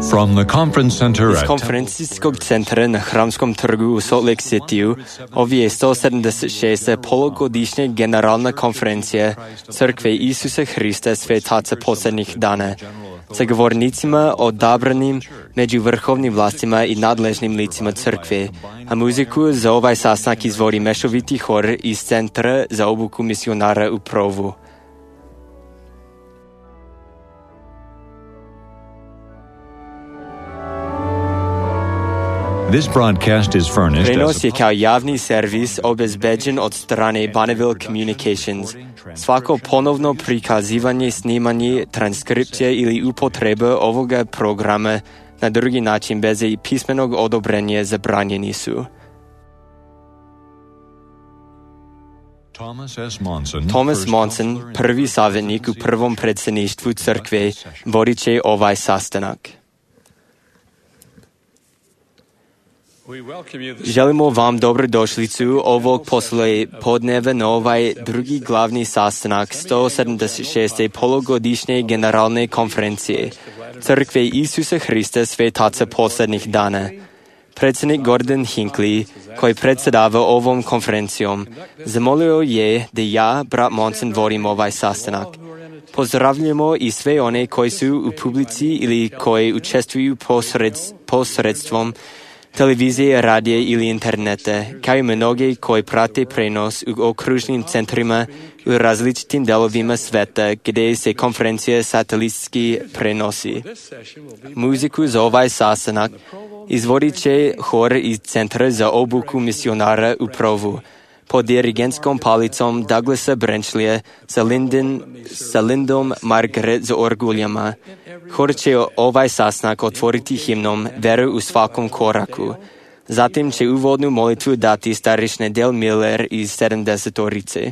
From the conference center Iz at konferencijskog centra na Hramskom trgu u Salt Lake City ovo je 176. polugodišnja generalna konferencija Crkve Isusa Hrista Svetaca posljednjih dana sa govornicima odabranim među vrhovnim vlastima i nadležnim licima crkve, a muziku za ovaj sastanak izvodi mešoviti hor iz Centra za obuku misionara u Provu. This broadcast is furnished Prenos je kao javni servis obezbeđen od strane Bonneville Communications. Svako ponovno prikazivanje, snimanje, transkripcija ili upotreba ovoga programa na drugi način bez pismenog odobrenja zabranjeni su. Thomas Monson, prvi savjetnik u prvom predsjedništvu crkve, vodit će ovaj sastanak. Želimo vam dobrodošlicu ovog poslijepodneva na ovaj drugi glavni sastanak 176. polugodišnje generalne konferencije Crkve Isusa Hrista Svetaca posljednjih dana. Predsjednik Gordon Hinckley, koji predsjedava ovom konferencijom, zamolio je da ja, brat Monson, vodim ovaj sastanak. Pozdravljamo i sve one koji su u publici ili koji učestvuju posredstvom televizije, radija ili interneta, kao i mnoge koji prate prenos u okružnim centrima u različitim delovima sveta gdje se konferencija satelitski prenosi. Muziku za ovaj sastanak izvodit će hor iz Centra za obuku misionara u Provu pod dirigentskom palicom Douglasa Brenčlija sa Lindom Margaret za orguljama. Hor će ovaj sastanak otvoriti himnom Veru u svakom koraku. Zatim će uvodnu molitvu dati starešina Del Miller iz 70-orice.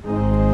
That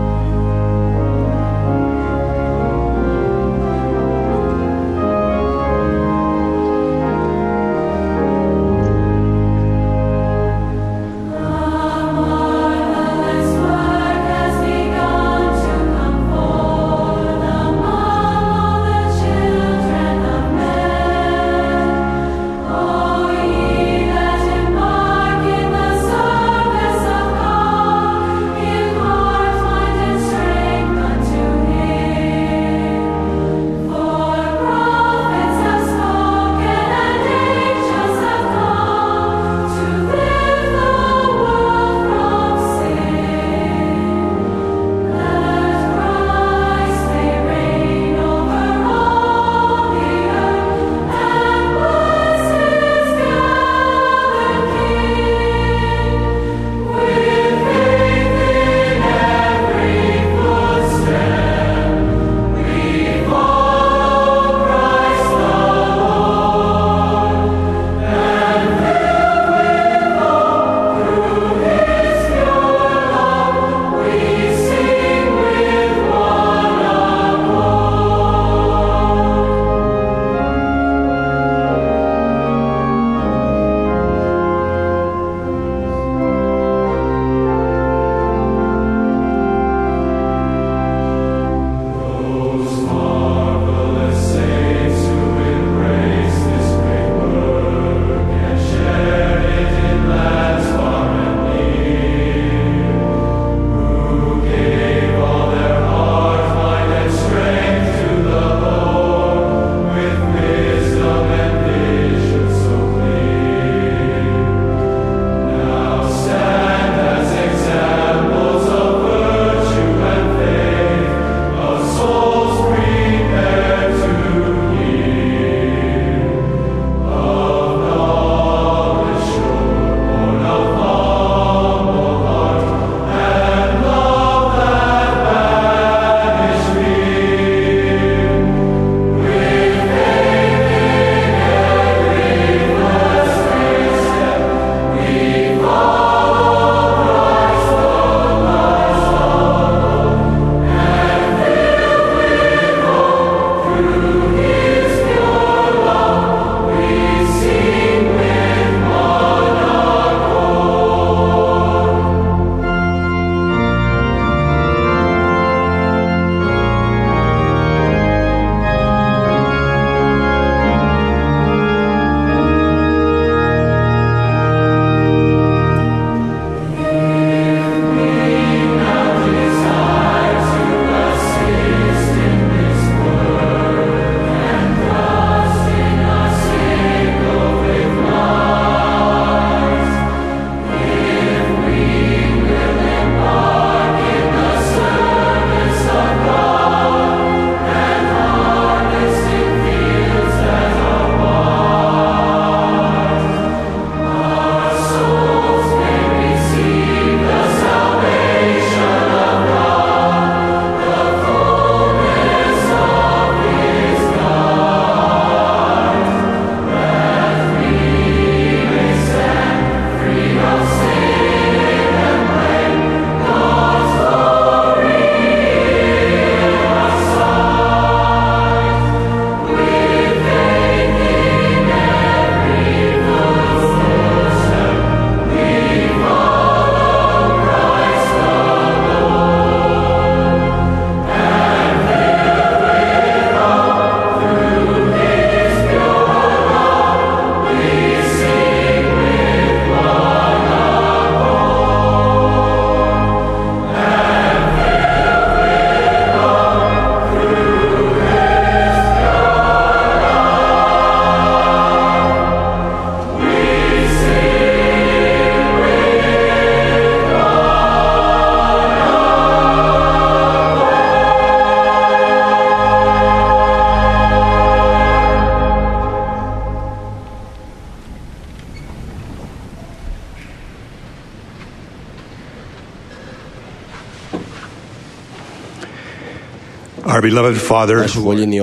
Our beloved Father, Naš voljeni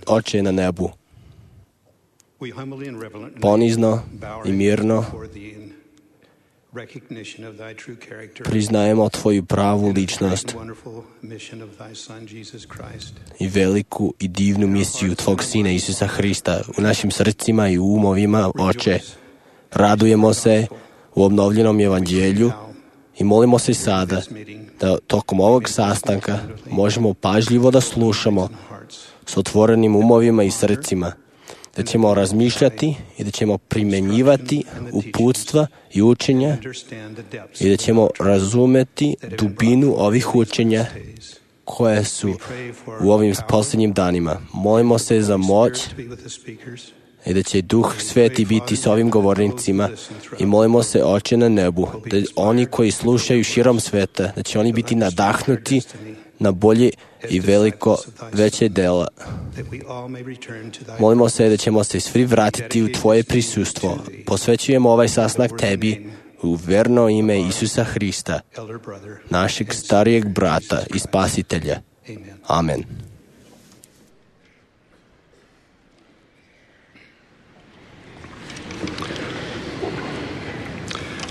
Oče na nebu, we humbly and reverently ponizno bow i our mirno heads before thee in recognition of thy true character priznajemo Tvoju pravu and the ličnost great and wonderful mission of thy Son, Jesus Christ. i veliku i divnu misiju Tvog Sina Isusa Hrista u našim srcima i umovima, Oče. Radujemo se u obnovljenom evanđelju i molimo se sada da tokom ovog sastanka možemo pažljivo da slušamo s otvorenim umovima i srcima, da ćemo razmišljati i da ćemo primenjivati uputstva i učenja i da ćemo razumeti dubinu ovih učenja koje su u ovim posljednjim danima. Molimo se za moć i da će Duh Sveti biti s ovim govornicima i molimo se, Oče na nebu, da oni koji slušaju širom sveta, da će oni biti nadahnuti na bolje i veće dela. Molimo se da ćemo se svi vratiti u Tvoje prisustvo. Posvećujemo ovaj sastanak Tebi u verno ime Isusa Hrista, našeg starijeg brata i spasitelja. Amen.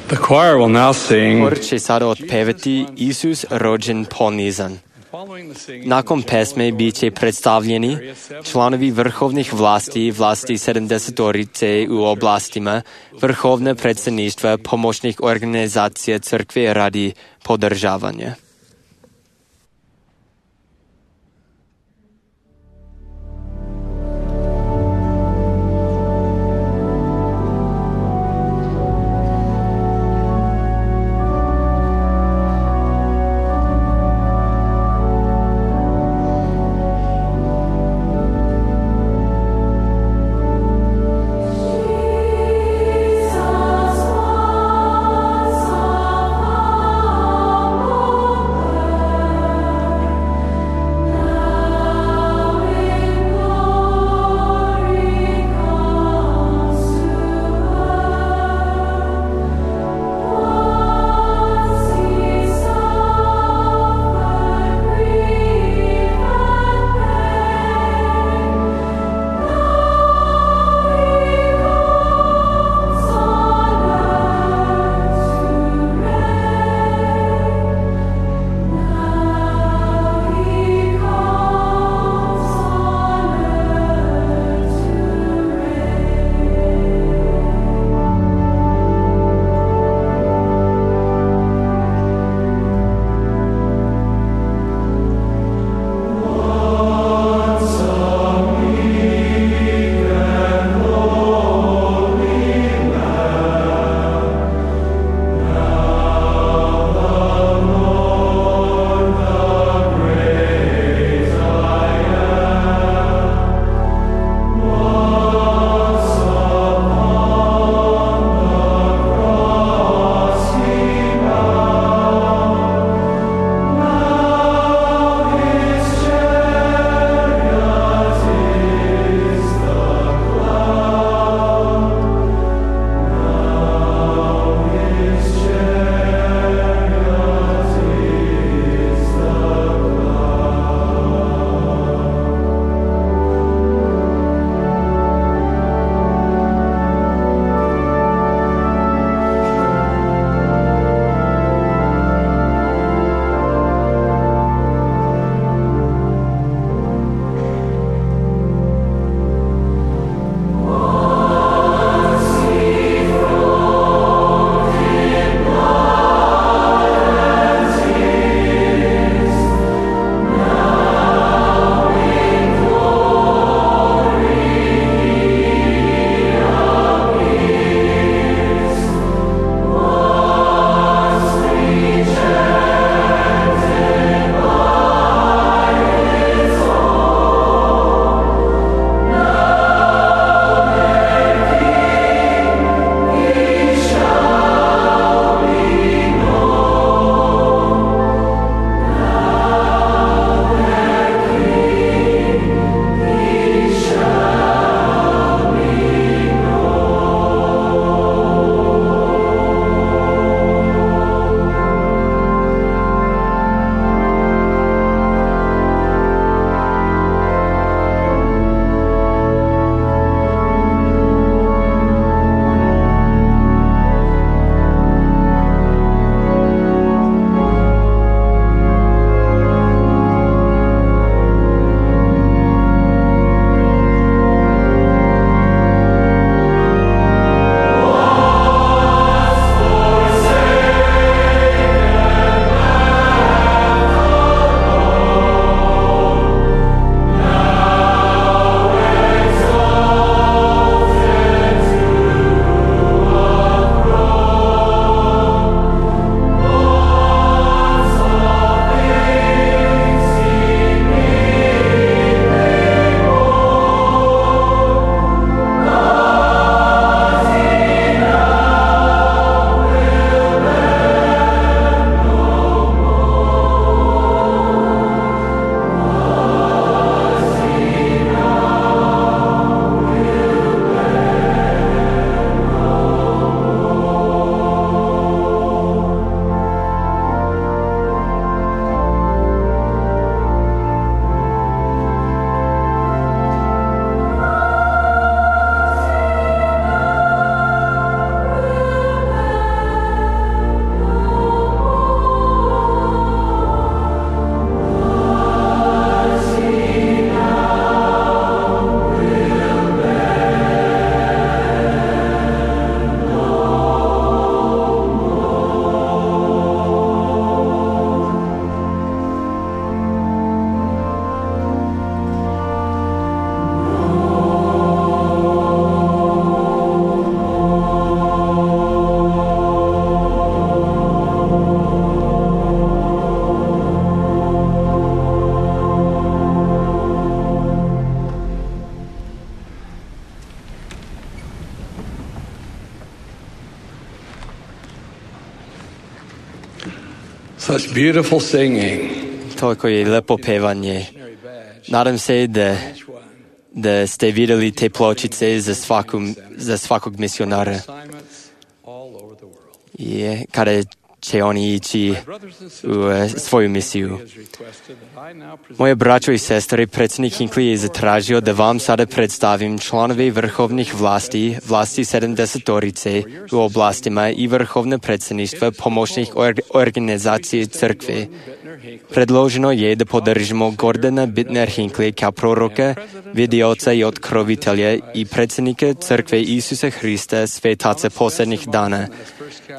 The choir will now sing. Hor će sada otpevati Isus rođen ponizan. Nakon pesme bit će predstavljeni članovi vrhovnih vlasti, vlasti 70-orice u oblastima, vrhovne predstavništva pomoćnih organizacija crkve radi podržavanja. Jesus, Such beautiful singing. Toliko je lepo pevanje. Nadam se da ste vidjeli te pločice za svakog misionara. I kada će oni ići u svoju misiju. Moje braćo i sestre, predsjednik Hinckley je zatražio da vam sada predstavim članove vrhovnih vlasti 70-torice u oblastima i vrhovne predsjedništva pomoćnih organizacije crkve. Predloženo je da podržimo Gordona Bittner Hinckley kao proroka, vidioca i otkrovitelja i predsjednika crkve Isusa Hrista svetaca posljednjih dana,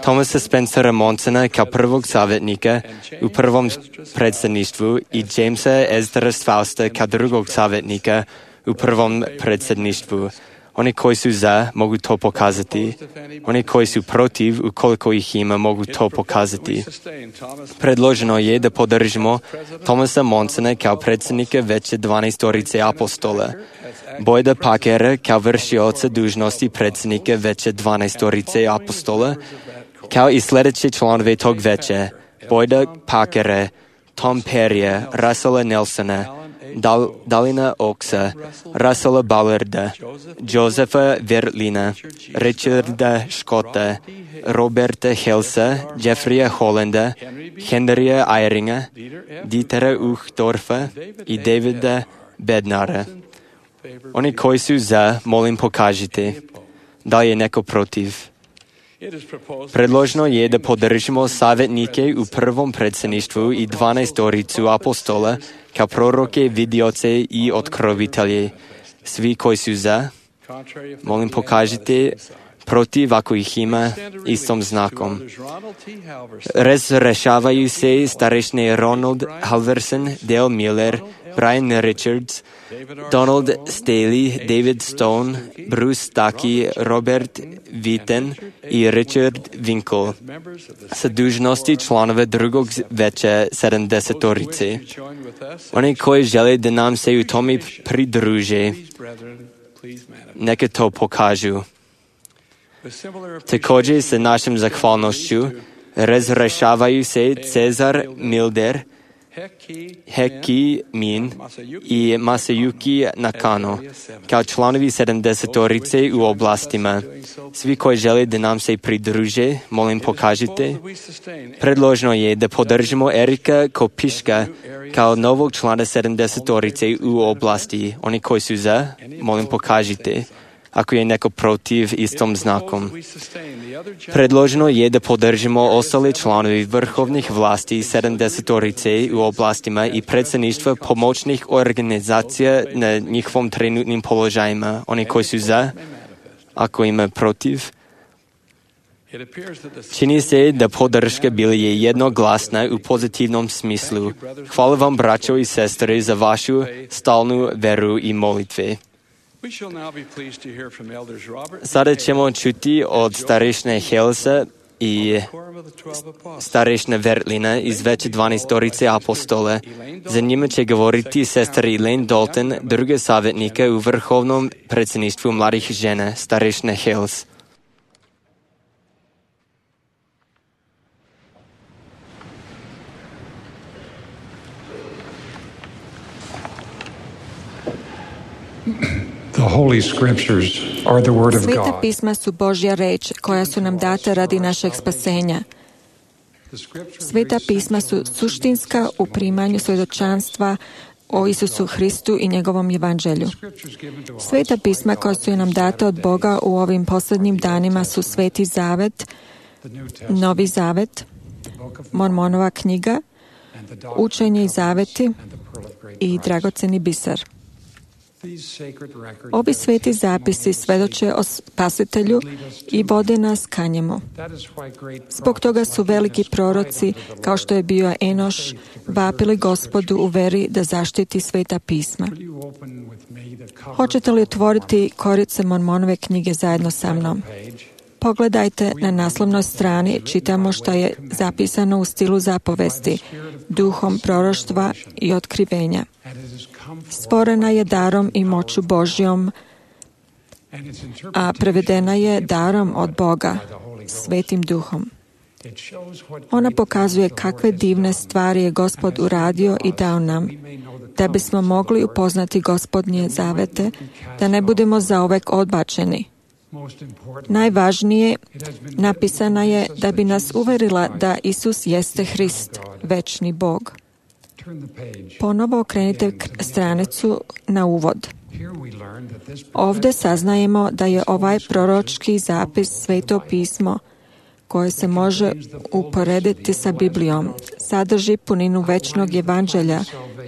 Thomasa Spencera Monsona kao prvog savjetnika u prvom predsjedništvu i Jamesa Esdra Fausta kao drugog savjetnika u prvom predsjedništvu. Oni koji su za, mogu to pokazati. Oni koji su protiv, ukoliko ih ima, mogu to pokazati. Predloženo je da podržimo Thomasa Monsona kao predsjednika veće 12-torice apostola, Boyda Parkera kao vršioca dužnosti predsjednika veće 12-torice apostola, kao i sljedeće članove tog veća, Boyda Parkera, Tom Perrya, Russella Nelsona, Dalina Oaksa, Russella Ballarda, Josepha Verlina, Richarda Scotta, Roberta Helsa, Jeffreya Hollanda, Henrya Eyringa, Dietera Uchtdorfa i Davida Bednara. Oni koji su za, molim pokažite. Da li je neko protiv? Predloženo je da podržimo savjetnike u prvom predsjedništvu i 12-toricu apostola kao proroke, vidioce i otkrovitelje. Svi koji su za, molim pokažite. Protiv, ako ih ima, istom znakom. Razrešavaju se starešne Ronald Halverson, Dale Miller, Brian Richards, Donald Staley, David Stone, Bruce Stuckey, Robert Witten i Richard Winkle sa dužnosti članova drugog veća 70-torice. Oni koji žele da nam se u tome pridruže, neka to pokažu. Također sa našom zahvalnošću razrešavaju se Cezar Milder, Heki Min i Masayuki Nakano kao članovi 70-torice u oblastima. Svi koji žele da nam se pridruže, molim pokažite. Predloženo je da podržimo Erika Kopiška kao novog člana 70-torice u oblasti. Oni koji su za, molim pokažite. Ako je neko protiv, istom znakom. Predloženo je da podržimo ostale članovi vrhovnih vlasti 70-torice u oblastima i predsjedništva pomoćnih organizacija na njihovom trenutnim položajima. Oni koji su za, ako ima protiv. Čini se da podrška bila je jednoglasna u pozitivnom smislu. Hvala vam, braćo i sestre, za vašu stalnu veru i molitve. Sada ćemo čuti od starešne Helsa i starešne Verlina iz veće 12-torice apostola. Za njima će govoriti sestra Elaine Dalton, druga savjetnika u vrhovnom predsjedništvu mladih žena, starešne Hels. The Holy Scriptures are the Word of Sveta God. pisma su Božja reč koja su nam data radi našeg spasenja. Sveta pisma su suštinska u primanju svjedočanstva o Isusu Hristu i njegovom evanđelju. Sveta pisma koja su nam data od Boga u ovim posljednjim danima su Sveti Zavet, Novi Zavet, Mormonova knjiga, Učenje i zaveti i dragoceni biser. Ovi sveti zapisi svedoče o Spasitelju i vode nas ka njemu. Zbog toga su veliki proroci, kao što je bio Enoš, vapili Gospodu u veri da zaštiti sveta pisma. Hoćete li otvoriti korice Mormonove knjige zajedno sa mnom? Pogledajte na naslovnoj strani, čitamo što je zapisano u stilu zapovesti, duhom proroštva i otkrivenja. Stvorena je darom i moću Božjom, a prevedena je darom od Boga, Svetim Duhom. Ona pokazuje kakve divne stvari je Gospod uradio i dao nam, da bismo mogli upoznati Gospodnje zavete, da ne budemo zauvek odbačeni. Najvažnije, napisana je da bi nas uverila da Isus jeste Hrist, večni Bog. Ponovo okrenite stranicu na uvod. Ovdje saznajemo da je ovaj proročki zapis Sveto pismo, koje se može uporediti sa Biblijom, sadrži puninu večnog evanđelja,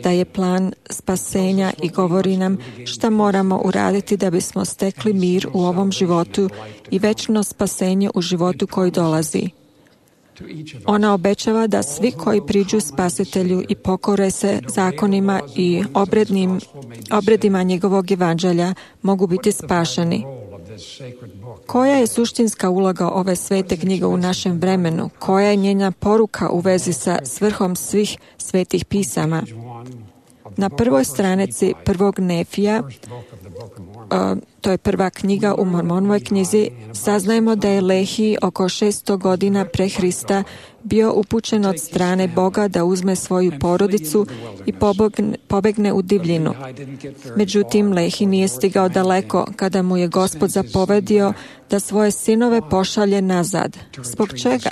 da je plan spasenja i govori nam šta moramo uraditi da bismo stekli mir u ovom životu i večno spasenje u životu koji dolazi. Ona obećava da svi koji priđu Spasitelju i pokore se zakonima i obredima njegovog evanđelja mogu biti spašeni. Koja je suštinska uloga ove svete knjige u našem vremenu? Koja je njena poruka u vezi sa svrhom svih svetih pisama? Na prvoj stranici prvog Nefija, to je prva knjiga u Mormonovoj knjizi, saznajemo da je Lehi oko 600 godina pre Hrista bio upućen od strane Boga da uzme svoju porodicu i pobegne u divljinu. Međutim, Lehi nije stigao daleko kada mu je Gospod zapovedio da svoje sinove pošalje nazad. Zbog čega?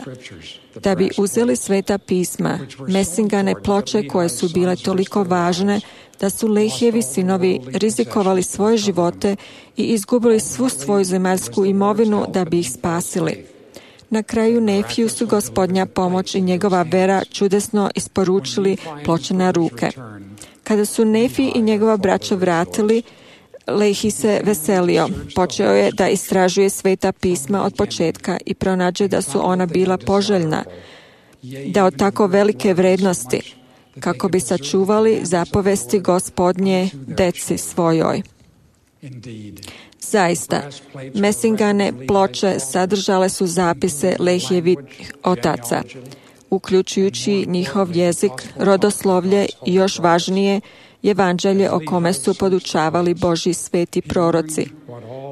Da bi uzeli sveta pisma, mesingane ploče koje su bile toliko važne da su Lehijevi sinovi rizikovali svoje živote i izgubili svu svoju zemaljsku imovinu da bi ih spasili. Na kraju Nefiju su Gospodnja pomoć i njegova vera čudesno isporučili ploče na ruke. Kada su Nefi i njegova braća vratili, Lehi se veselio. Počeo je da istražuje sveta pisma od početka i pronađe da su ona bila poželjna, da od tako velike vrednosti, kako bi sačuvali zapovesti Gospodnje deci svojoj. Zaista, mesingane ploče sadržale su zapise Lehijevih otaca, uključujući njihov jezik, rodoslovlje i još važnije, evanđelje o kome su podučavali Božji sveti proroci.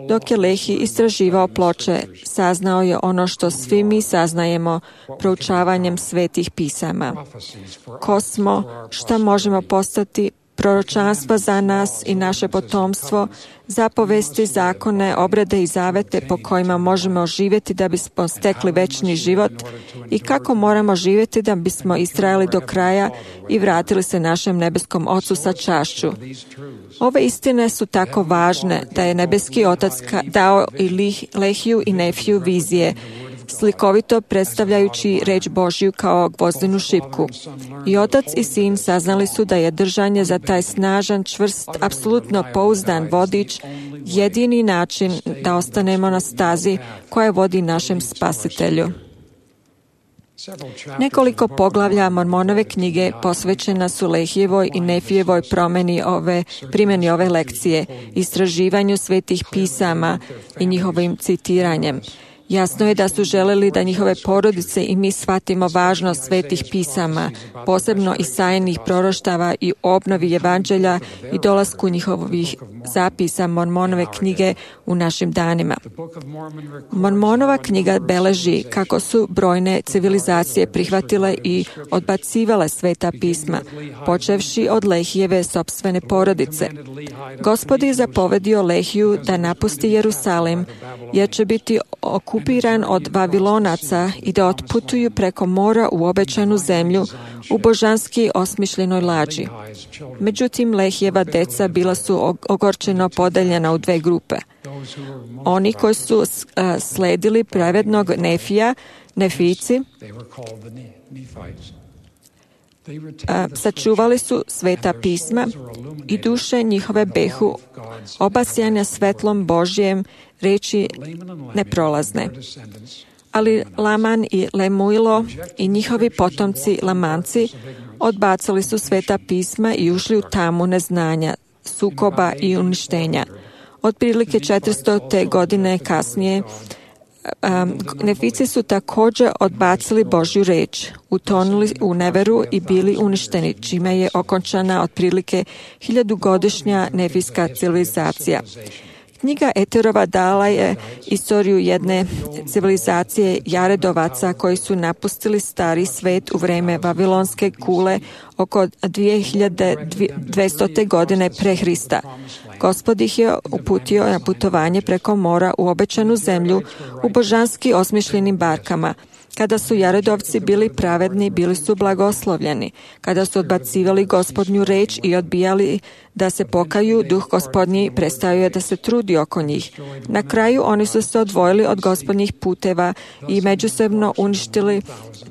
Dok je Lehi istraživao ploče, saznao je ono što svi mi saznajemo proučavanjem svetih pisama. Ko smo, šta možemo postati, proročanstva za nas i naše potomstvo, zapovesti, zakone, obrede i zavete po kojima možemo živjeti da bismo stekli večni život i kako moramo živjeti da bismo istrajali do kraja i vratili se našem nebeskom Ocu sa čašću. Ove istine su tako važne da je nebeski Otac dao i Lehiju i Nefiju vizije, slikovito predstavljajući reč Božju kao gvozdenu šipku. I otac i sin saznali su da je držanje za taj snažan, čvrst, apsolutno pouzdan vodič jedini način da ostanemo na stazi koja vodi našem Spasitelju. Nekoliko poglavlja Mormonove knjige posvećena su Lehijevoj i Nefijevoj primjeni ove lekcije, istraživanju svetih pisama i njihovim citiranjem. Jasno je da su želeli da njihove porodice i mi shvatimo važnost svetih pisama, posebno Isaijinih proroštava i obnovi evanđelja i dolasku njihovih zapisa Mormonove knjige u našim danima. Mormonova knjiga beleži kako su brojne civilizacije prihvatile i odbacivale sveta pisma, počevši od Lehijeve sopstvene porodice. Gospod je zapovedio Lehiju da napusti Jerusalim, jer će biti okupiran od Vavilonaca i da otputuju preko mora u obećanu zemlju u božanski osmišljenoj lađi. Međutim, Lehijeva deca bila su ogorčeno podeljena u dve grupe. Oni koji su sledili pravednog Nefija, Nefijci, sačuvali su sveta pisma i duše njihove behu obasjane svetlom Božjem reči neprolazne. Ali Laman i Lemuilo i njihovi potomci Lamanci odbacili su sveta pisma i ušli u tamu neznanja, sukoba i uništenja. Otprilike 400. godine kasnije Nefici su također odbacili Božju reč, utonuli u neveru i bili uništeni, čime je okončana otprilike 1000-godišnja nefijska civilizacija. Knjiga Eterova dala je istoriju jedne civilizacije Jaredovaca koji su napustili stari svet u vreme Vavilonske kule oko 2200. godine pre Hrista. Gospod ih je uputio na putovanje preko mora u obećanu zemlju u božanski osmišljenim barkama. Kada su Jaredovci bili pravedni, bili su blagoslovljeni. Kada su odbacivali Gospodnju reč i odbijali da se pokaju, duh Gospodnji prestao je da se trudi oko njih. Na kraju oni su se odvojili od Gospodnjih puteva i međusobno uništili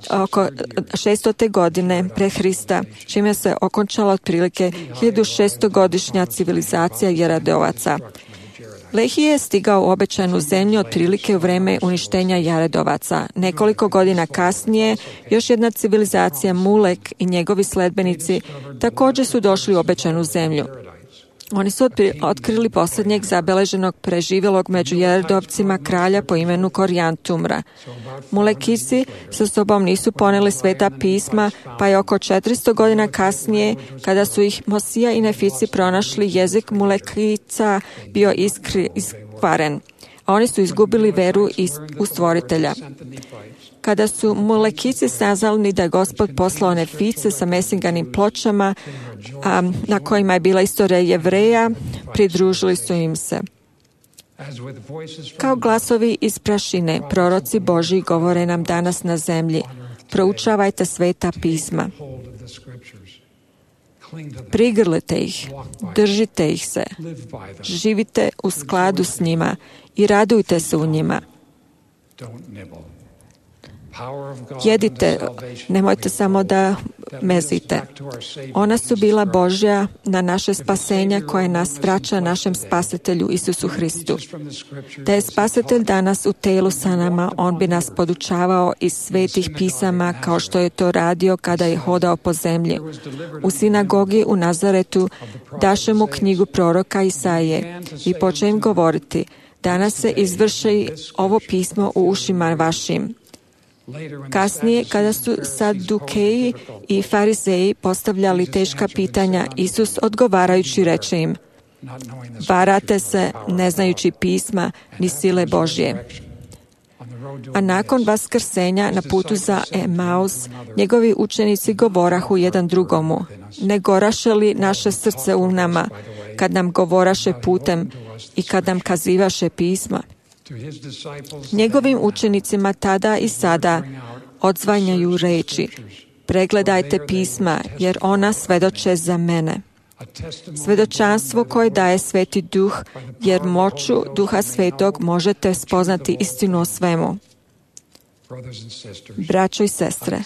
oko 600. godine pre Hrista, čime se okončala otprilike 1600-godišnja civilizacija Jaredovaca. Lehi je stigao u obećanu zemlju otprilike u vreme uništenja Jaredovaca. Nekoliko godina kasnije, još jedna civilizacija Mulek i njegovi sledbenici također su došli u obećanu zemlju. Oni su otkrili posljednjeg zabeleženog preživjelog među Jaredovcima kralja po imenu Korjantumra. Mulekici sa sobom nisu poneli sveta pisma, pa je oko 400 godina kasnije, kada su ih Mosija i Nefici pronašli, jezik Mulekica bio iskvaren, a oni su izgubili veru u stvoritelja. Kada su Mulekici saznali da je Gospod poslao Nefice sa mesinganim pločama, na kojima je bila istorija Jevreja, pridružili su im se. Kao glasovi iz prašine, proroci Božji govore nam danas na zemlji. Proučavajte sveta pisma. Prigrlite ih, držite ih se, živite u skladu s njima i radujte se u njima. Jedite, nemojte samo da mezite. Ona su bila Božja na naše spasenja koje nas vraća našem spasitelju Isusu Hristu. Da je spasitelj danas u telu sa nama, on bi nas podučavao iz svetih pisama kao što je to radio kada je hodao po zemlji. U sinagogi u Nazaretu daše mu knjigu proroka Isaije i počne im govoriti: danas se izvrši ovo pismo u ušima vašim. Kasnije, kada su Sadukeji i Farizeji postavljali teška pitanja, Isus odgovarajući reče im: varate se ne znajući pisma ni sile Božje. A nakon vaskrsenja na putu za Emaus, njegovi učenici govorahu jedan drugomu: ne goraše li naše srce u nama kad nam govoraše putem i kad nam kazivaše pisma? Njegovim učenicima tada i sada odzvanjaju reči: pregledajte pisma, jer ona svedoče za mene. Svedočanstvo koje daje Sveti Duh, jer moću Duha Svetog možete spoznati istinu o svemu. Braćo i sestre,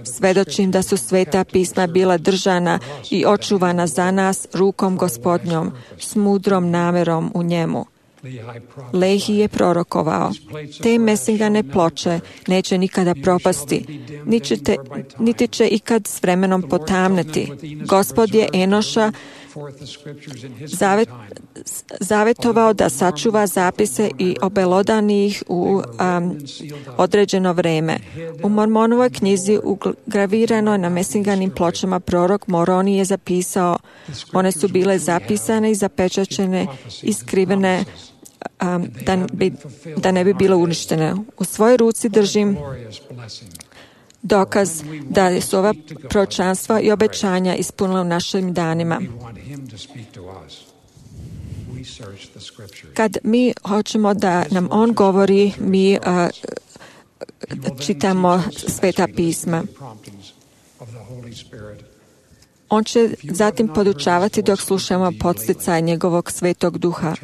svedočim da su sveta pisma bila držana i očuvana za nas rukom Gospodnjom, s mudrom namerom u njemu. Lehi je prorokovao: te mesingane ploče neće nikada propasti, niti će ikad s vremenom potamneti. Gospod je Enoša zavetovao da sačuva zapise i obelodani ih u određeno vreme. U Mormonovoj knjizi ugravirano na mesinganim pločama prorok Moroni je zapisao: one su bile zapisane i zapečaćene i skrivene da ne bi bile uništene. U svojoj ruci držim dokaz da su ova proročanstva i obećanja ispunila u našim danima. Kad mi hoćemo da nam on govori, mi čitamo sveta pisma. On će zatim podučavati dok slušamo podsticaj njegovog Svetog Duha.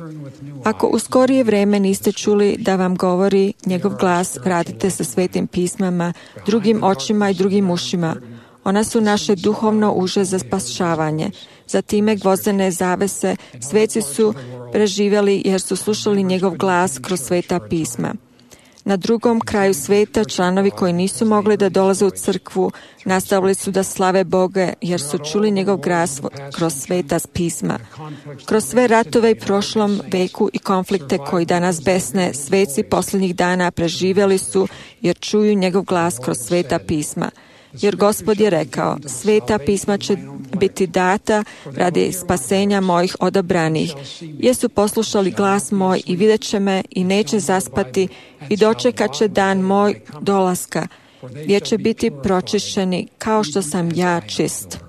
Ako u skorije vreme niste čuli da vam govori njegov glas, vratite se svetim pismama, drugim očima i drugim ušima. Ona su naše duhovno uže za spašavanje. Za time gvozdene zavese sveci su preživjeli jer su slušali njegov glas kroz sveta pisma. Na drugom kraju sveta članovi koji nisu mogli da dolaze u crkvu nastavili su da slave Boga jer su čuli njegov glas kroz sveta pisma. Kroz sve ratove i prošlom veku i konflikte koji danas besne, sveci posljednjih dana preživjeli su jer čuju njegov glas kroz sveta pisma. jer Gospod je rekao, sveta pisma će biti data radi spasenja mojih odabranih. Jesu poslušali glas moj i vidjet će me i neće zaspati i dočekat će dan moj dolaska, jer će biti pročišćeni kao što sam ja čist.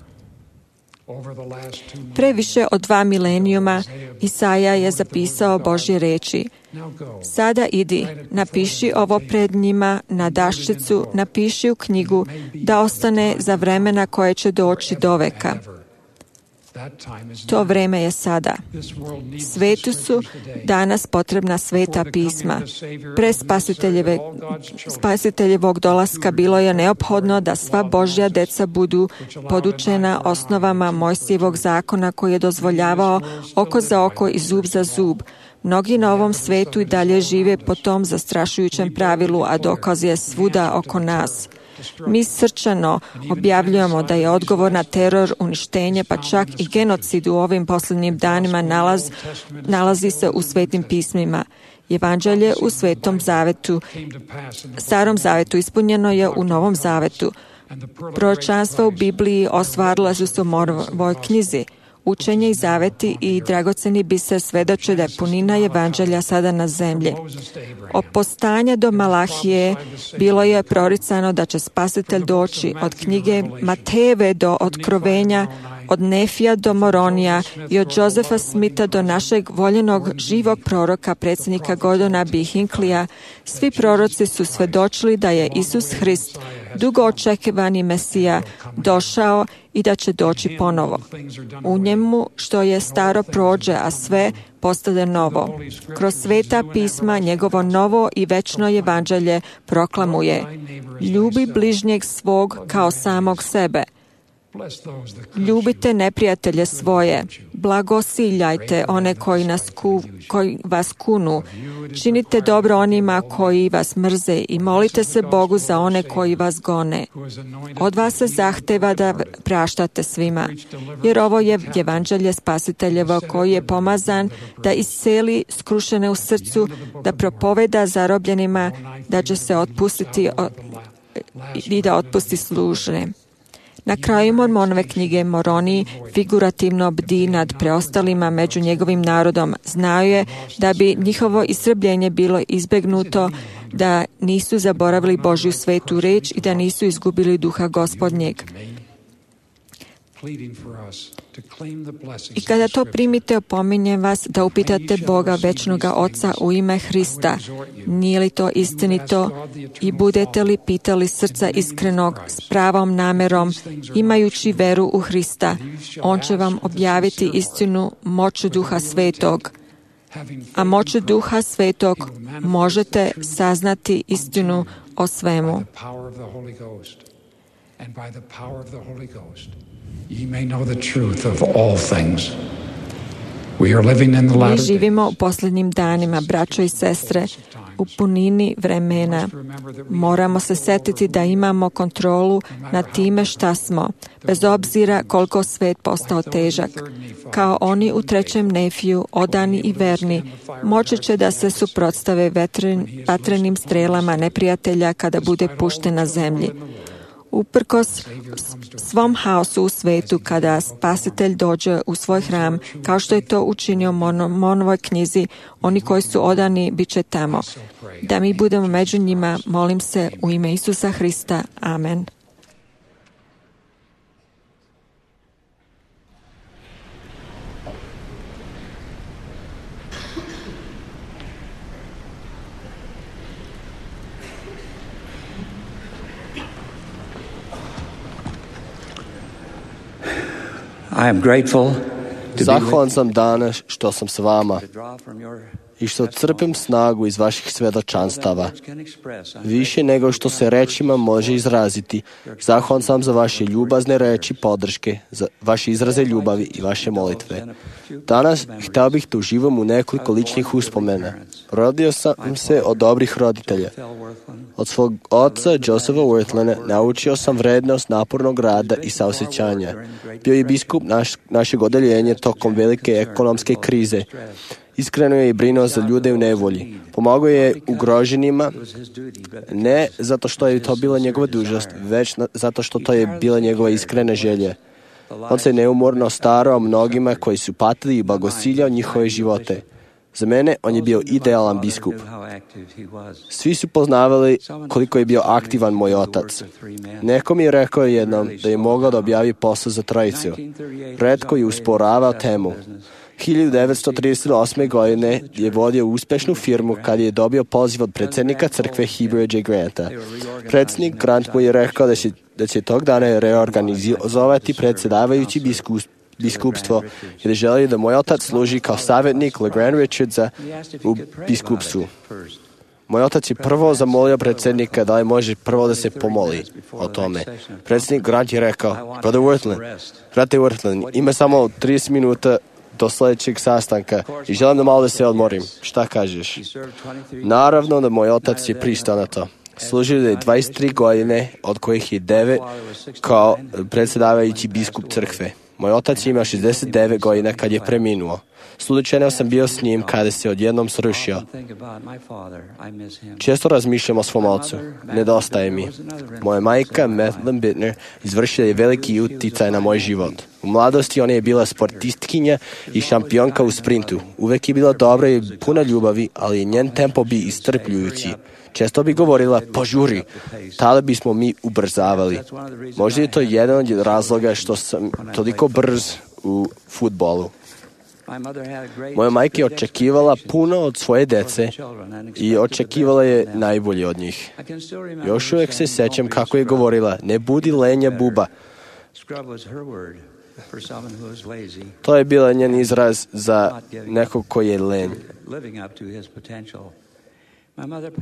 Pre više od 2 milenijuma Isaija je zapisao Božje reči. Sada idi, napiši ovo pred njima na daščicu, napiši u knjigu da ostane za vremena koje će doći do veka. To vreme je sada. Svetu su danas potrebna sveta pisma. Pre spasiteljevog dolaska bilo je neophodno da sva Božja deca budu podučena osnovama Mojsijevog zakona koji je dozvoljavao oko za oko i zub za zub. Mnogi na ovom svetu i dalje žive po tom zastrašujućem pravilu, a dokaz je svuda oko nas. Mi srčano objavljujemo da je odgovor na teror, uništenje, pa čak i genocid u ovim posljednjim danima nalazi se u svetim pismima. Evanđelje u Svetom zavetu, Starom zavetu ispunjeno je u Novom zavetu. Proročanstva u Bibliji ostvarila su se u ovoj knjizi. Učenje i zaveti i dragoceni biser svedoče da je punina Evanđelja sada na zemlji. Od postanja do Malahije bilo je proricano da će Spasitelj doći od knjige Matejeve do Otkrovenja, od Nefija do Moronija i od Josefa Smitha do našeg voljenog živog proroka, predsjednika Gordona B. Hinklija. Svi proroci su svedočili da je Isus Hrist, dugo očekivani Mesija, došao i da će doći ponovo. U njemu što je staro prođe, a sve postade novo. Kroz sveta pisma njegovo novo i večno evanđelje proklamuje: ljubi bližnjeg svog kao samog sebe. Ljubite neprijatelje svoje, blagosiljajte one koji vas kunu, činite dobro onima koji vas mrze i molite se Bogu za one koji vas gone. Od vas se zahteva da praštate svima, jer ovo je evanđelje Spasiteljevo koji je pomazan da isceli skrušene u srcu, da propoveda zarobljenima da će se otpustiti i da otpusti služne. Na kraju Mormonove knjige Moroni figurativno bdi nad preostalima među njegovim narodom. Znao je da bi njihovo istrebljenje bilo izbegnuto, da nisu zaboravili Božju svetu reč i da nisu izgubili duha Gospodnjeg. I kada to primite, opominjem vas da upitate Boga večnoga Oca u ime Hrista. Nije li to istinito? I budete li pitali srca iskrenog s pravom namerom, imajući veru u Hrista? On će vam objaviti istinu moću Duha Svetog. A moću Duha Svetog možete saznati istinu o svemu. Ye may know the truth of all things. We are living in the latter days. Mi živimo u posljednjim danima, braćo i sestre, u punini vremena. Moramo se setiti da imamo kontrolu nad time šta smo, bez obzira koliko svet postao težak. Kao oni u 3. Nefiju, odani i verni, moći će da se suprotstave vatrenim strelama neprijatelja kada bude pušten na zemlji. Uprkos svom haosu u svetu, kada Spasitelj dođe u svoj hram, kao što je to učinio u Mormonovoj knjizi, oni koji su odani bit će tamo. Da mi budemo među njima, molim se u ime Isusa Hrista. Amen. Zahvalan sam danas što sam s vama i što crpim snagu iz vaših svedočanstava. Više nego što se rečima može izraziti. Zahvalan sam za vaše ljubazne reči podrške, za vaše izraze ljubavi i vaše molitve. Danas htio bih da uživam u nekoliko ličnih uspomena. Rodio sam se od dobrih roditelja. Od svog oca, Josepha Worthlana, naučio sam vrednost napornog rada i saosećanja. Bio je biskup našeg odeljenja tokom velike ekonomske krize Iskreno je i brinuo za ljude u nevolji. Pomogao je ugroženima, ne zato što je to bila njegova dužnost, već zato što to je bila njegova iskrena želja. On se neumorno starao mnogima koji su patili i blagosiljao njihove živote. Za mene on je bio idealan biskup. Svi su poznavali koliko je bio aktivan moj otac. Neko mi je rekao jednom da je mogao da objavi posao za trojicu. Retko je usporavao temu. 1938. godine je vodio uspešnu firmu kad je dobio poziv od predsjednika crkve Heber J. Granta. Predsjednik Grant mu je rekao da će tog dana reorganizovati predsjedavajući biskupstvo i da želi da moj otac služi kao savjetnik LeGrand Richardsa u biskupstvu. Moj otac je prvo zamolio predsjednika da li može prvo da se pomoli o tome. Predsjednik Grant je rekao, brate Worthland, ima samo 30 minuta do sljedećeg sastanka i želim da malo da se odmorim. Šta kažeš? Naravno da moj otac je pristao na to. Služio je 23 godine, od kojih je 9 kao predsjedavajući biskup crkve. Moj otac je imao 69 godina kad je preminuo. Slučajno sam bio s njim kada se odjednom srušio. Često razmišljam o svom ocu. Nedostaje mi. Moja majka, Madeline Bittner, izvršila je veliki uticaj na moj život. U mladosti ona je bila sportistkinja i šampionka u sprintu. Uvek je bila dobra i puna ljubavi, ali njen tempo bi istrpljujući. Često bi govorila, požuri, tada bismo mi ubrzavali. Možda je to jedan od razloga što sam toliko brz u fudbalu. Moja majka je očekivala puno od svoje dece i očekivala je najbolje od njih. Još uvijek se sećam kako je govorila, ne budi lenja buba. To je bila njen izraz za nekog koji je lenj.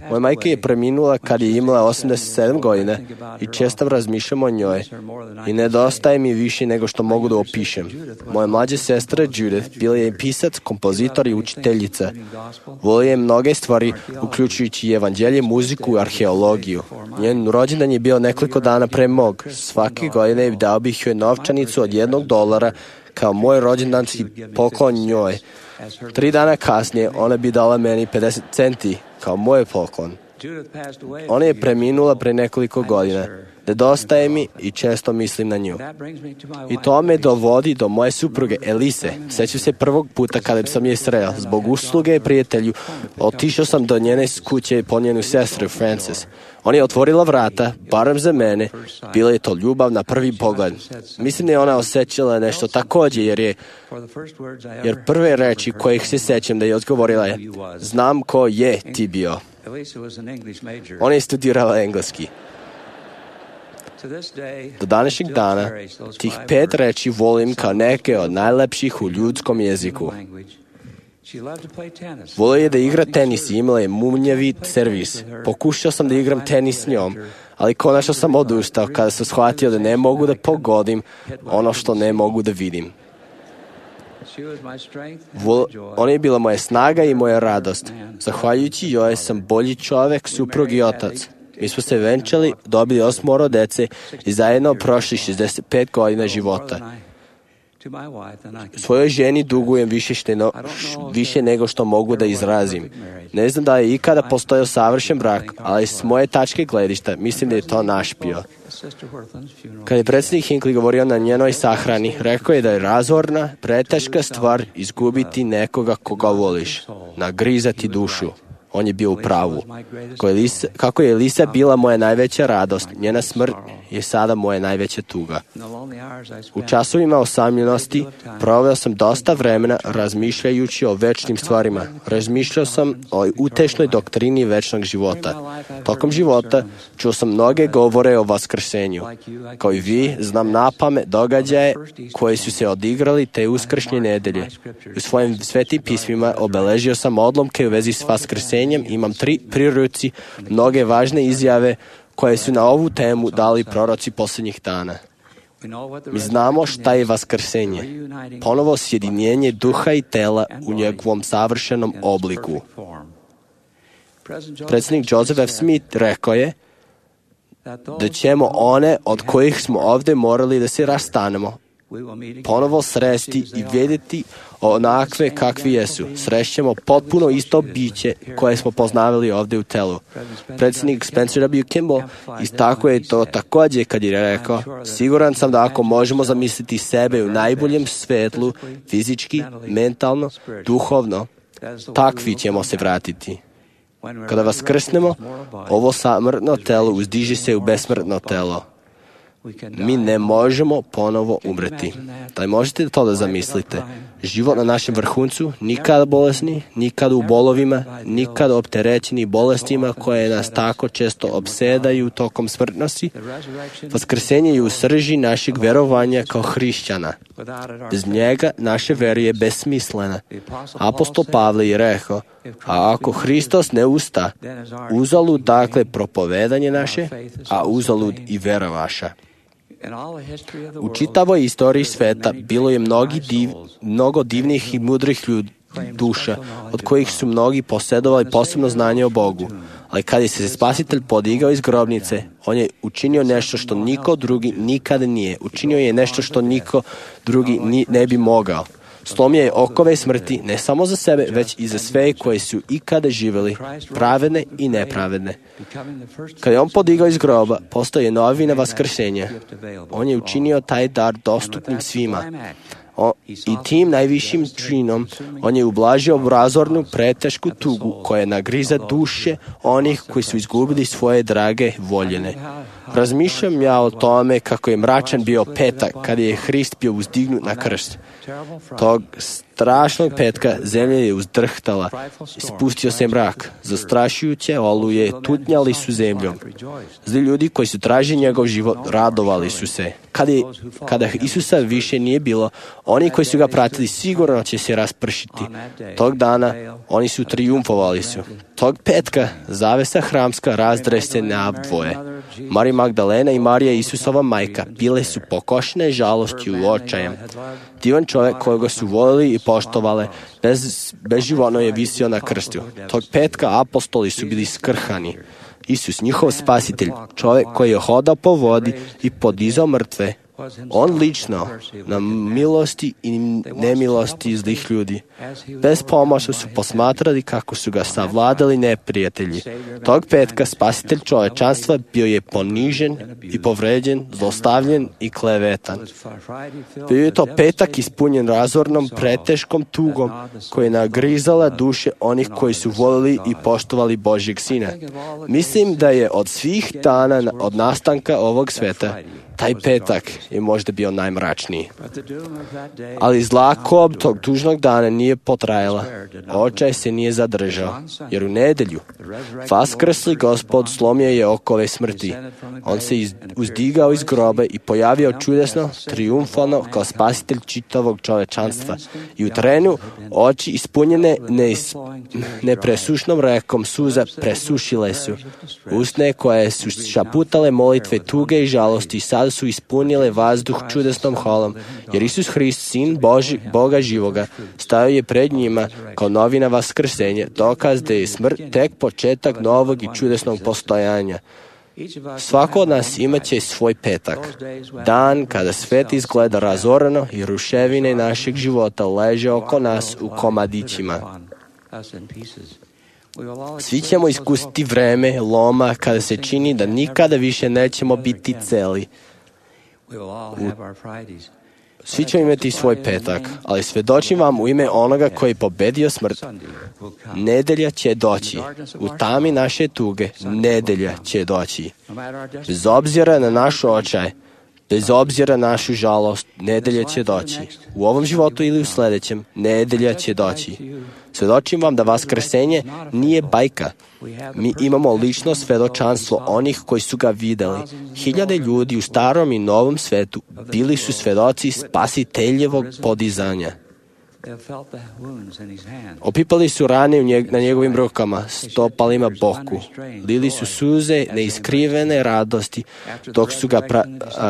Moja majka je preminula kad je imala 87 godina i često razmišljam o njoj i nedostaje mi više nego što mogu da opišem. Moja mlađa sestra Judith bila je pisac, kompozitor i učiteljica. Volio je mnoge stvari, uključujući evanđelje, muziku i arheologiju. Njen rođendan je bio nekoliko dana pre mog. Svake godine dao bih joj novčanicu od $1 kao moj rođendanski poklon njoj. 3 dana kasnije ona bi dala meni 50 centi kao moj poklon. Ona je preminula pre nekoliko godina. Nedostaje mi i često mislim na nju. I to me dovodi do moje supruge Elise. Sećam se prvog puta kada sam je sreo. Zbog usluge prijatelju otišao sam do njene kuće po njenu sestru Frances. Ona je otvorila vrata, barem za mene. Bila je to ljubav na prvi pogled. Mislim da je ona osjećala nešto također, jer prve reči kojih se sećam da je odgovorila je, znam ko je ti bio. Ona je studirala engleski. Do današnjeg dana tih 5 reči volim kao neke od najlepših u ljudskom jeziku. Volio je da igra tenis i imala je munjevi servis. Pokušao sam da igram tenis s njom, ali konačno sam odustao kada sam shvatio da ne mogu da pogodim ono što ne mogu da vidim. Ona je bila moja snaga i moja radost. Zahvaljujući joj sam bolji čovek, suprug i otac. Mi smo se venčali, dobili 8 dece i zajedno prošli 65 godina života. Svojoj ženi dugujem više nego što mogu da izrazim. Ne znam da je ikada postojao savršen brak, ali s moje tačke gledišta mislim da je to naš bio. Kad je predsjednik Hinckley govorio na njenoj sahrani, rekao je da je razorna, preteška stvar izgubiti nekoga koga voliš, nagrizati dušu. On je bio u pravu. Kako je Elisa bila moja najveća radost, njena smrt je sada moja najveća tuga. U časovima osamljenosti proveo sam dosta vremena razmišljajući o večnim stvarima. Razmišljao sam o utešnoj doktrini večnog života. Tokom života čuo sam mnoge govore o vaskrsenju. Kao i vi, znam napamet događaje koji su se odigrali te uskršnje nedelje. U svojim svetim pismima obeležio sam odlomke u vezi s vaskrsenjem. Imam 3 pri ruci, mnoge važne izjave koje su na ovu temu dali proroci posljednjih dana. Mi znamo šta je vaskrsenje. Ponovo sjedinjenje duha i tela u njegovom savršenom obliku. Predsjednik Joseph F. Smith rekao je da ćemo one od kojih smo ovdje morali da se rastanemo ponovo sresti i vidjeti onakve kakvi jesu. Srećemo potpuno isto biće koje smo poznavali ovdje u telu. Predsjednik Spencer W. Kimball istakao je to također kad je rekao: siguran sam da ako možemo zamisliti sebe u najboljem svetlu, fizički, mentalno, duhovno, takvi ćemo se vratiti. Kada vaskrsnemo, ovo samrtno telo uzdiže se u besmrtno telo. Mi ne možemo ponovo umreti. Da li možete to da zamislite? Život na našem vrhuncu, nikada bolesni, nikada u bolovima, nikada opterećeni bolestima koje nas tako često opsedaju tokom smrtnosti. Vaskrsenje je u srži našeg verovanja kao hrišćana. Bez njega naše vere je besmislena. Apostol Pavle je rekao: a ako Hristos ne usta, uzalud dakle propovedanje naše, a uzalud i vera vaša. U čitavoj istoriji sveta bilo je mnogo divnih i mudrih duša, od kojih su mnogi posjedovali posebno znanje o Bogu. Ali kad je se Spasitelj podigao iz grobnice, on je učinio nešto što niko drugi nikada nije. Učinio je nešto što niko drugi ne bi mogao. Slomio je okove smrti ne samo za sebe, već i za sve koji su ikada živjeli, pravedne i nepravedne. Kad je on podigao iz groba, postoje novina vaskrsenja. On je učinio taj dar dostupnim svima. I tim najvišim činom on je ublažio razornu pretešku tugu koja nagriza duše onih koji su izgubili svoje drage voljene. Razmišljam ja o tome kako je mračan bio petak kada je Hrist bio uzdignut na krst. Tog strašnog petka zemlja je uzdrhtala, spustio se mrak, zastrašujuće oluje tutnjali su zemljom. Zli ljudi koji su tražili njegov život radovali su se. Kada Isusa više nije bilo, oni koji su ga pratili sigurno će se raspršiti. Tog dana oni su trijumfovali su. Tog petka zavesa hramska razdrese na dvoje. Marija Magdalena i Marija Isusova majka bile su pokošene žalosti u očajem. Divan čovjek kojega su volili i poštovale, bezživotno je visio na krstu. Tog petka apostoli su bili skrhani. Isus, njihov spasitelj, čovjek koji je hodao po vodi i podizao mrtve, on lično na milosti i nemilosti zlih ljudi. Bez pomoći su posmatrali kako su ga savladali neprijatelji. Tog petka spasitelj čovečanstva bio je ponižen i povređen, zlostavljen i klevetan. Bio je to petak ispunjen razornom preteškom tugom koja je nagrizala duše onih koji su volili i poštovali Božjeg Sina. Mislim da je od svih dana od nastanka ovog sveta taj petak je možda bio najmračniji. Ali zla kob tog tužnog dana nije potrajala. Očaj se nije zadržao, jer u nedelju vaskrsli Gospod slomio je okove smrti. On se uzdigao iz groba i pojavio čudesno, triumfalno kao spasitelj čitavog čovečanstva. I u trenu oči ispunjene nepresušnom rekom suza presušile su. Usne koje su šaputale molitve tuge i žalosti sad su ispunile vazduh čudesnom holom, jer Isus Hrist, Sin Boga živoga, stajao je pred njima kao novina vaskrsenja, dokaz da je smrt tek početak novog i čudesnog postojanja. Svako od nas imaće svoj petak, dan kada svet izgleda razoreno i ruševine našeg života leže oko nas u komadićima. Svi ćemo iskusiti vreme loma kada se čini da nikada više nećemo biti celi. Svi ćemo imati svoj petak, ali svedočim vam u ime onoga koji je pobedio smrt. Nedelja će doći. U tami naše tuge, nedelja će doći. Bez obzira na naš očaj, bez obzira na našu žalost, nedelja će doći. U ovom životu ili u sljedećem, nedelja će doći. Svedočim vam da vaskrsenje nije bajka. Mi imamo lično svedočanstvo onih koji su ga vidjeli. Hiljade ljudi u starom i novom svetu bili su svedoci spasiteljevog podizanja. Opipali su rane na njegovim rukama, stopalima boku. Lili su suze neiskrivene radosti dok su ga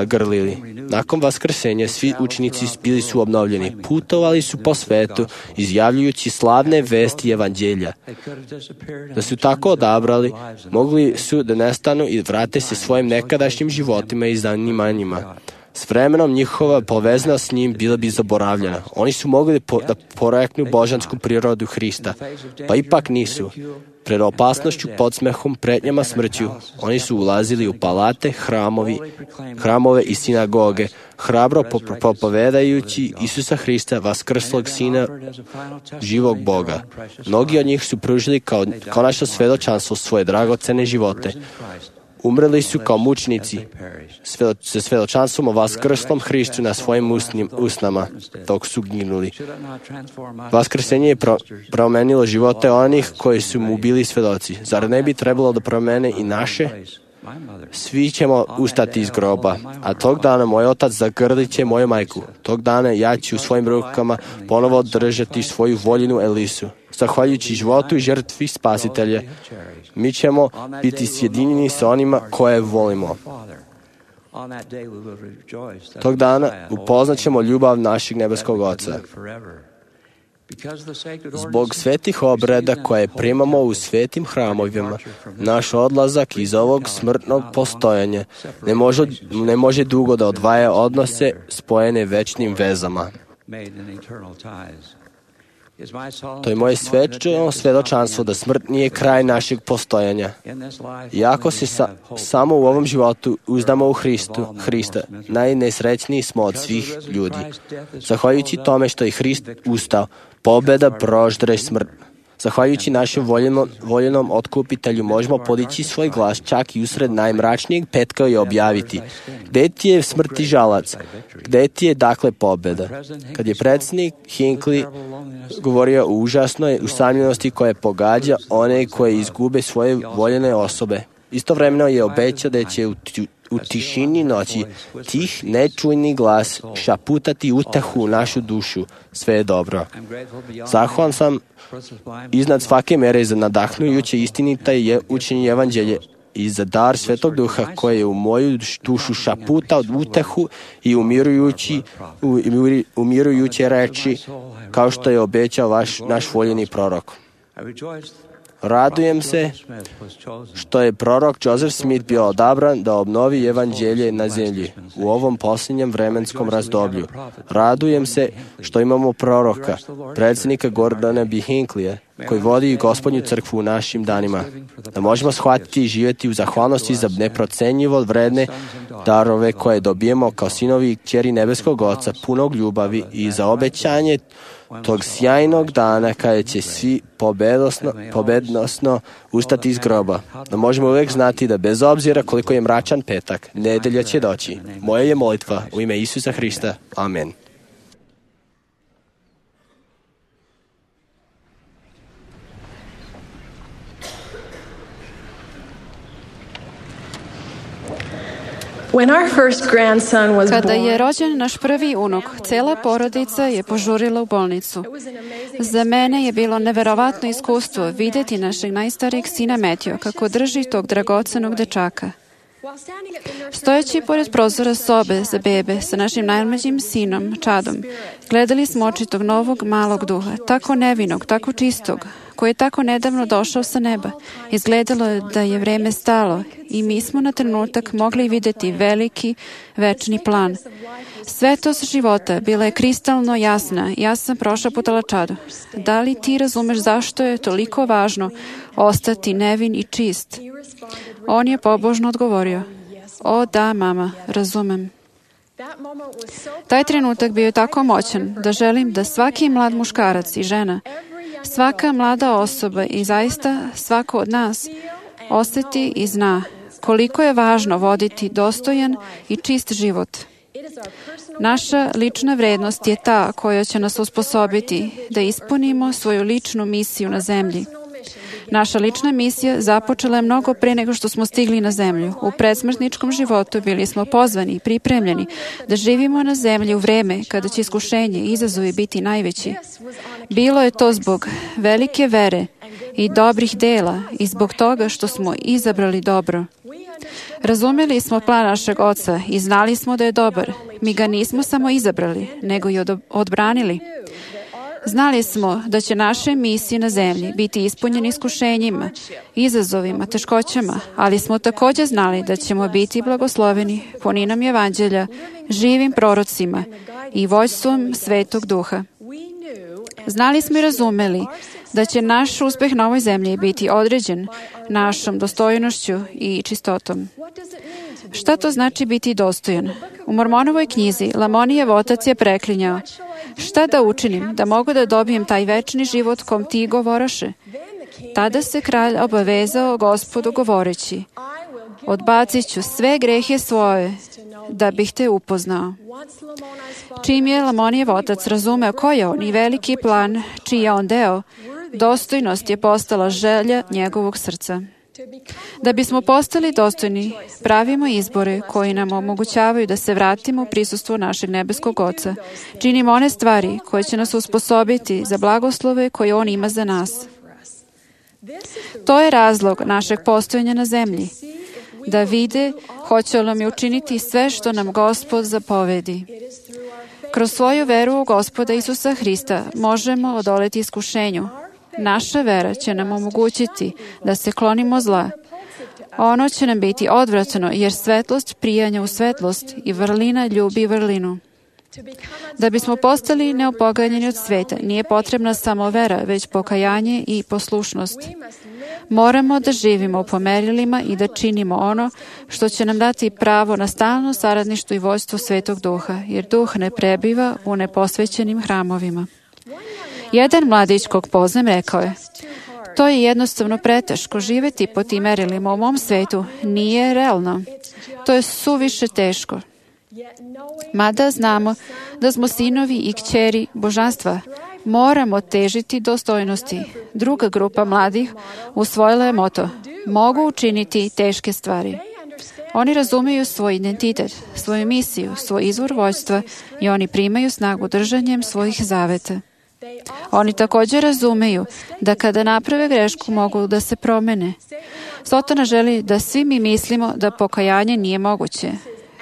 grlili. Nakon vaskrsenja svi učenici bili su obnovljeni. Putovali su po svetu izjavljujući slavne vesti evanđelja. Da su tako odabrali, mogli su da nestanu i vrate se svojim nekadašnjim životima i zanimanjima. S vremenom njihova povezanost s njim bila bi zaboravljena. Oni su mogli da poreknu božansku prirodu Hrista, pa ipak nisu. Pred opasnošću, podsmehom, pretnjama smrću, oni su ulazili u palate, hramove i sinagoge, hrabro propovedajući Isusa Hrista, vaskrslog Sina živog Boga. Mnogi od njih su pružili kao naše svedočanstvo svoje dragocene živote. Umrli su kao mučnici sa svedočanstvom o vaskrslom Hristu na svojim usnama, dok su ginuli. Vaskrsenje je promenilo živote onih koji su mu bili svedoci. Zar ne bi trebalo da promene i naše? Svi ćemo ustati iz groba, a tog dana moj otac zagrlit će moju majku. Tog dana ja ću u svojim rukama ponovo držati svoju voljenu Elisu. Zahvaljujući životu i žrtvi Spasitelja, mi ćemo biti sjedinjeni sa onima koje volimo. Tog dana upoznat ćemo ljubav našeg nebeskog Oca. Zbog svetih obreda koje primamo u svetim hramovima, naš odlazak iz ovog smrtnog postojanja ne može dugo da odvaja odnose spojene večnim vezama. To je moje svedočanstvo da smrt nije kraj našeg postojanja. Iako se samo u ovom životu uzdamo u Hrista, najnesrećniji smo od svih ljudi. Zahvaljujući tome što je Hrist ustao, pobjeda proždre smrt. Zahvaljujući našem voljenom otkupitelju možemo podići svoj glas čak i usred najmračnijeg petka i objaviti: gde ti je smrti žalac? Gde ti je dakle pobjeda? Kad je predsjednik Hinckley govorio o užasnoj usamljenosti koja pogađa one koje izgube svoje voljene osobe, istovremeno je obećao da će u tišini noći tih nečujni glas šaputati utehu u našu dušu. Sve je dobro. Zahvalan sam iznad svake mere za nadahnujuće istinita učenje evanđelje i za dar Svetog Duha koji je u moju dušu šaputao utehu i umirujuće reči, kao što je obećao naš voljeni prorok. Radujem se što je prorok Joseph Smith bio odabran da obnovi evanđelje na zemlji u ovom posljednjem vremenskom razdoblju. Radujem se što imamo proroka, predsjednika Gordona B. Hinckleyja, koji vodi Gospodnju crkvu u našim danima. Da možemo shvatiti i živjeti u zahvalnosti za neprocenjivo vredne darove koje dobijemo kao sinovi i kćeri nebeskog Oca, punog ljubavi, i za obećanje tog sjajnog dana kada će svi pobednosno ustati iz groba. Da možemo uvijek znati da bez obzira koliko je mračan petak, nedelja će doći. Moja je molitva u ime Isusa Hrista. Amen. Kada je rođen naš prvi unuk, cela porodica je požurila u bolnicu. Za mene je bilo neverovatno iskustvo vidjeti našeg najstarijeg sina Metio kako drži tog dragocenog dečaka. Stojeći pored prozora sobe za bebe sa našim najmlađim sinom, Čadom, gledali smo oči tog novog malog duha, tako nevinog, tako čistog, koji je tako nedavno došao sa neba. Izgledalo je da je vreme stalo i mi smo na trenutak mogli vidjeti veliki, večni plan. Svetost života bila je kristalno jasna. Ja sam prošaputala Čadu: da li ti razumeš zašto je toliko važno ostati nevin i čist? On je pobožno odgovorio: o da, mama, razumem. Taj trenutak bio je tako moćan da želim da svaki mlad muškarac i žena, svaka mlada osoba i zaista svako od nas osjeti i zna koliko je važno voditi dostojan i čist život. Naša lična vrednost je ta koja će nas usposobiti da ispunimo svoju ličnu misiju na zemlji. Naša lična misija započela je mnogo pre nego što smo stigli na zemlju. U predsmrtničkom životu bili smo pozvani i pripremljeni da živimo na zemlji u vreme kada će iskušenje i izazovi biti najveći. Bilo je to zbog velike vere i dobrih dela i zbog toga što smo izabrali dobro. Razumeli smo plan našeg Oca i znali smo da je dobar. Mi ga nismo samo izabrali, nego i odbranili. Znali smo da će naše misije na zemlji biti ispunjene iskušenjima, izazovima, teškoćama, ali smo također znali da ćemo biti blagosloveni puninom evanđelja, živim prorocima i vođstvom Svetog Duha. Znali smo i razumeli da će naš uspeh na ovoj zemlji biti određen našom dostojnošću i čistotom. Šta to znači biti dostojan? U Mormonovoj knjizi Lamonijev otac je preklinjao: šta da učinim da mogu da dobijem taj večni život kom ti govoraše? Tada se kralj obavezao Gospodu govoreći: odbacit ću sve grehe svoje da bih te upoznao. Čim je Lamonijev otac razumeo ko je on i veliki plan čiji je on deo, dostojnost je postala želja njegovog srca. Da bismo postali dostojni, pravimo izbore koji nam omogućavaju da se vratimo u prisustvo našeg nebeskog Oca. Činimo one stvari koje će nas usposobiti za blagoslove koje On ima za nas. To je razlog našeg postojanja na zemlji. Da vide hoće li nam učiniti sve što nam Gospod zapovedi. Kroz svoju veru u Gospoda Isusa Hrista možemo odoleti iskušenju. Naša vera će nam omogućiti da se klonimo zla. Ono će nam biti odvratno, jer svetlost prijanja u svetlost i vrlina ljubi vrlinu. Da bismo postali neopoganjeni od sveta, nije potrebna samo vera, već pokajanje i poslušnost. Moramo da živimo po merilima i da činimo ono što će nam dati pravo na stalno saradništvo i vođstvo Svetog Duha, jer Duh ne prebiva u neposvećenim hramovima. Jedan mladić kog poznam rekao je: to je jednostavno preteško, živeti po tim merilima u mom svetu nije realno. To je suviše teško. Mada znamo da smo sinovi i kćeri božanstva, moramo težiti dostojnosti. Druga grupa mladih usvojila je moto: mogu učiniti teške stvari. Oni razumeju svoj identitet, svoju misiju, svoj izvor vođstva i oni primaju snagu držanjem svojih zaveta. Oni također razumeju da kada naprave grešku mogu da se promene. Sotona želi da svi mi mislimo da pokajanje nije moguće.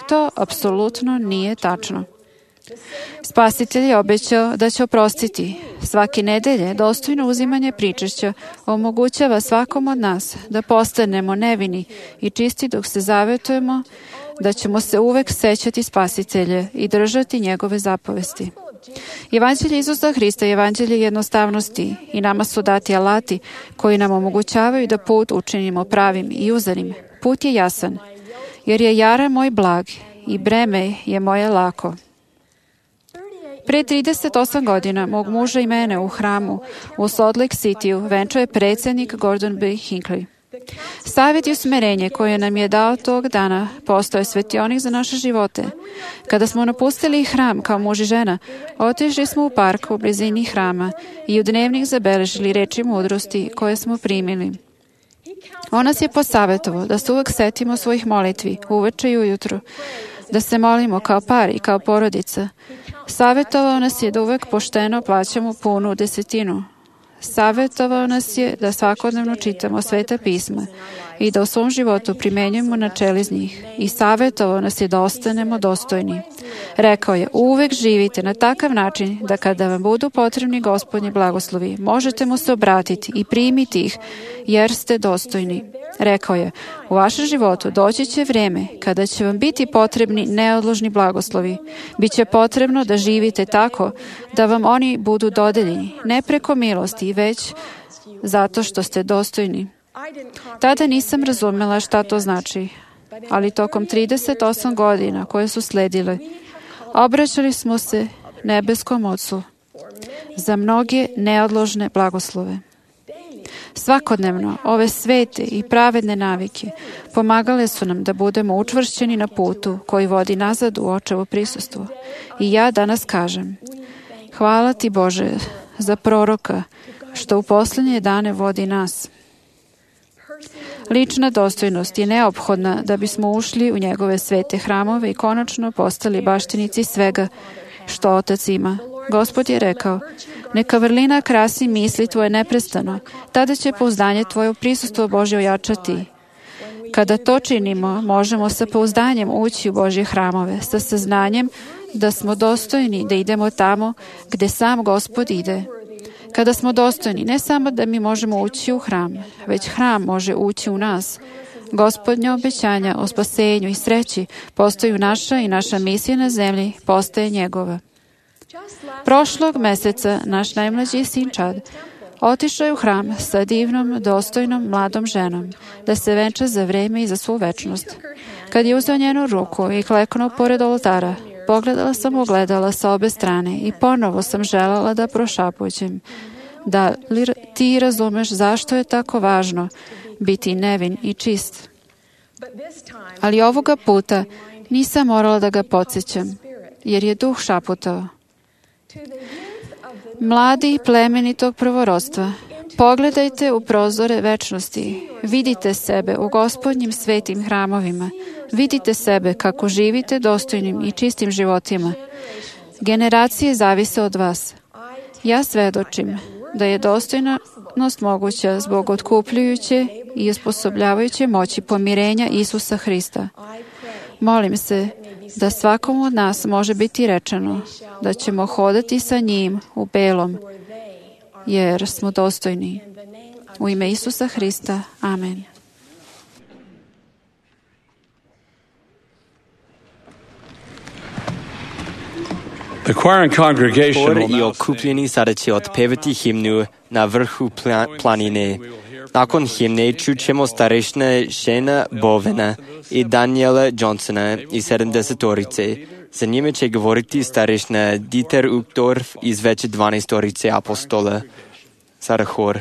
To apsolutno nije tačno. Spasitelj je obećao da će oprostiti. Svake nedelje dostojno uzimanje pričešća omogućava svakom od nas da postanemo nevini i čisti dok se zavetujemo da ćemo se uvek sećati Spasitelja i držati njegove zapovesti. Evanđelje Isusa Hrista je evanđelje jednostavnosti i nama su dati alati koji nam omogućavaju da put učinimo pravim i uzanim. Put je jasan, jer je jara moj blag i breme je moje lako. Pre 38 godina mog muža i mene u hramu u Salt Lake City-u venčao je predsjednik Gordon B. Hinckley. Savjet i usmerenje koje nam je dao tog dana postao je svetionik za naše živote. Kada smo napustili hram kao muž i žena, otišli smo u park u blizini hrama i u dnevnik zabeležili reči mudrosti koje smo primili. On nas je posavjetovao da se uvek setimo svojih molitvi, uveče i ujutru, da se molimo kao par i kao porodica. Savjetovao nas je da uvek pošteno plaćamo punu desetinu. Savjetovao nas je da svakodnevno čitamo Sveta pisma i da u svom životu primenjujemo načela iz njih. I savjetovao nas je da ostanemo dostojni. Rekao je: uvek živite na takav način da kada vam budu potrebni Gospodnji blagoslovi, možete mu se obratiti i primiti ih, jer ste dostojni. Rekao je: u vašem životu doći će vrijeme kada će vam biti potrebni neodložni blagoslovi. Biće potrebno da živite tako da vam oni budu dodeljeni, ne preko milosti, već zato što ste dostojni. Tada nisam razumela šta to znači, ali tokom 38 godina koje su sledile, obraćali smo se nebeskom Ocu za mnoge neodložne blagoslove. Svakodnevno ove svete i pravedne navike pomagale su nam da budemo učvršćeni na putu koji vodi nazad u Očevo prisustvo. I ja danas kažem: hvala ti Bože za proroka što u posljednje dane vodi nas. Lična dostojnost je neophodna da bismo ušli u njegove svete hramove i konačno postali baštinici svega što Otac ima. Gospod je rekao: neka vrlina krasi misli tvoje neprestano, tada će pouzdanje tvoje u prisustvo Božje ojačati. Kada to činimo, možemo sa pouzdanjem ući u Božje hramove, sa saznanjem da smo dostojni da idemo tamo gde sam Gospod ide. Kada smo dostojni, ne samo da mi možemo ući u hram, već hram može ući u nas. Gospodnja obećanja o spasenju i sreći postaju naša i naša misija na zemlji postaje njegova. Prošlog meseca naš najmlađi sin Chad otišao je u hram sa divnom, dostojnom, mladom ženom da se venča za vreme i za svu večnost. Kad je uzeo njenu ruku i kleknuo pored oltara, pogledala sam ogledala sa obe strane i ponovo sam želela da prošapućem. Da li ti razumeš zašto je tako važno biti nevin i čist? Ali ovoga puta nisam morala da ga podsjećam, jer je duh šaputao. Mladi plemenitog prvorodstva, pogledajte u prozore večnosti, vidite sebe u Gospodnjim svetim hramovima, vidite sebe kako živite dostojnim i čistim životima. Generacije zavise od vas. Ja svedočim da je dostojnost moguća zbog otkupljujuće i osposobljavajuće moći pomirenja Isusa Hrista. Molim se da svakom od nas može biti rečeno da ćemo hodati sa njim u belom, jer smo dostojni. U ime Isusa Hrista. Amen. Hor i okupljeni sada će otpevati himnu na vrhu planine. Nakon himne čućemo starešina Shana Bovena i Daniela Johnsona iz 70-orice. Za njime će govoriti starešina Dieter Uchtdorf iz već 12-orice apostola. Sada hor.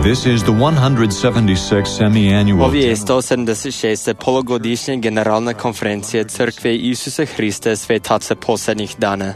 This is the 176th semi-annual. Ovo je 176. polugodišnja generalna konferencija Crkve Isusa Hrista svetaca posljednjih dana.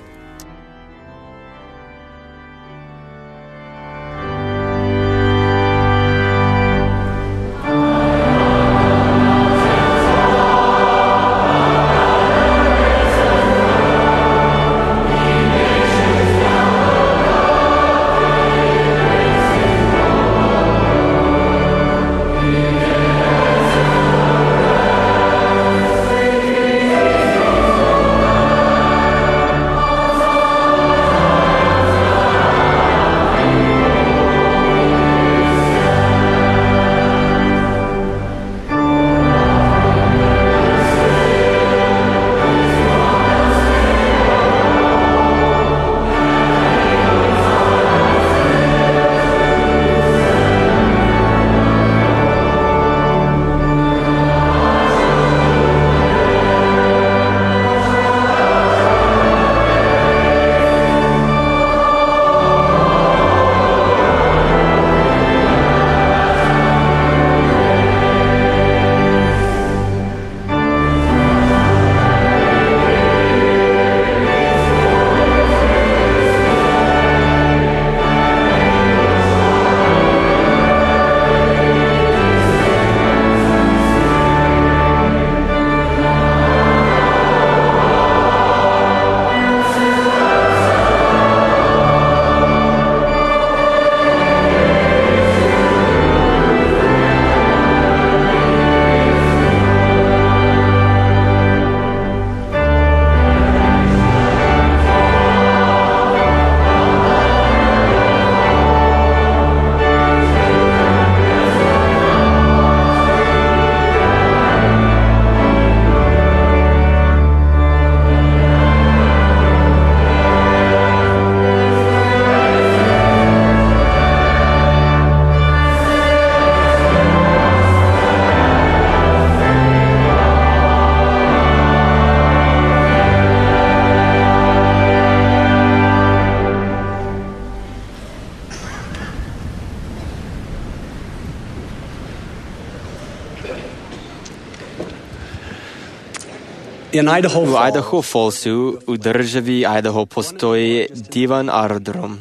U Idaho Fallsu, u državi Idaho, postoji divan aerodrom.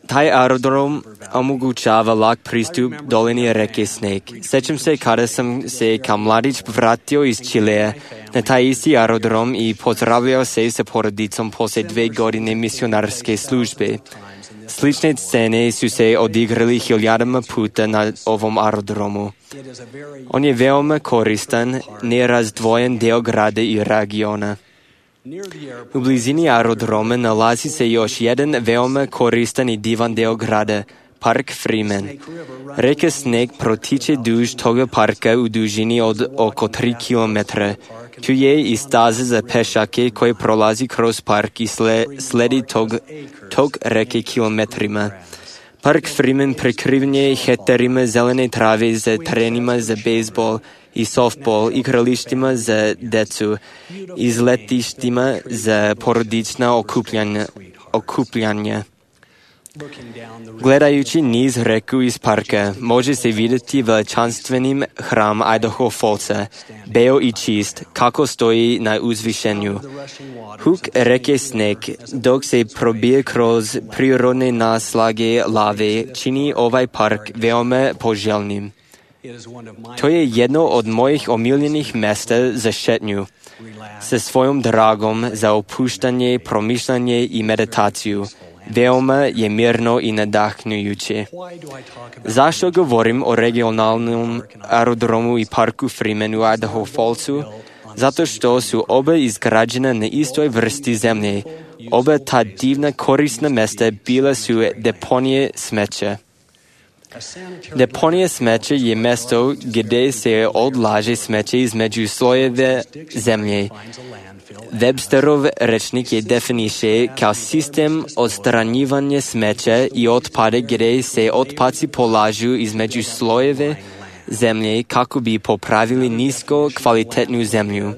Taj aerodrom omogućava lak pristup dolini reke Snake. Sećam se kada sam se kao mladić vratio iz Čilea na taj isti aerodrom i pozdravljao se sa porodicom poslije 2 godine misionarske službe. Slične scene su se odigrali hiljadama puta na ovom aerodromu. On je veoma koristan, nerazdvojen deo grada i regiona. U blizini aerodroma nalazi se još jedan veoma koristan i divan deo grada, Park Freeman. Reka Snake protiče duž toga parka u dužini od oko 3 km. Tu je i staza za pešake koje prolazi kroz park i sledi tog reke kilometrima. Park Freeman prekriven je hektarima zelene trave za terenima za bejsbol i softball, igralištima za decu, izletištima za porodična okupljanja. Gledajući niz reku iz parka, može se vidjeti veličanstvenim hram Idaho Fallsa, beo i čist, kako stoji na uzvišenju. Huk reke Snake, dok se probije kroz prirodne naslage lave, čini ovaj park veoma poželjnim. To je jedno od mojih omiljenih mjesta za šetnju, sa svojom dragom za opuštanje, promišljanje i meditaciju. Veoma je mirno i nadahnujuće. Zašto govorim o regionalnom aerodromu i parku Freeman u Idaho Fallsu? Zato što su oba izgrađena na istoj vrsti zemlje. Oba ta divna korisna mjesta bila su deponije smeća. Deponija smeća je mjesto gdje se odlaže smeće između slojeve zemlje. Websterov rečnik je definiše kao sistem odstranjivanja smeća i otpada gdje se otpaci polažu između slojeve zemlje kako bi popravili nisko kvalitetnu zemlju.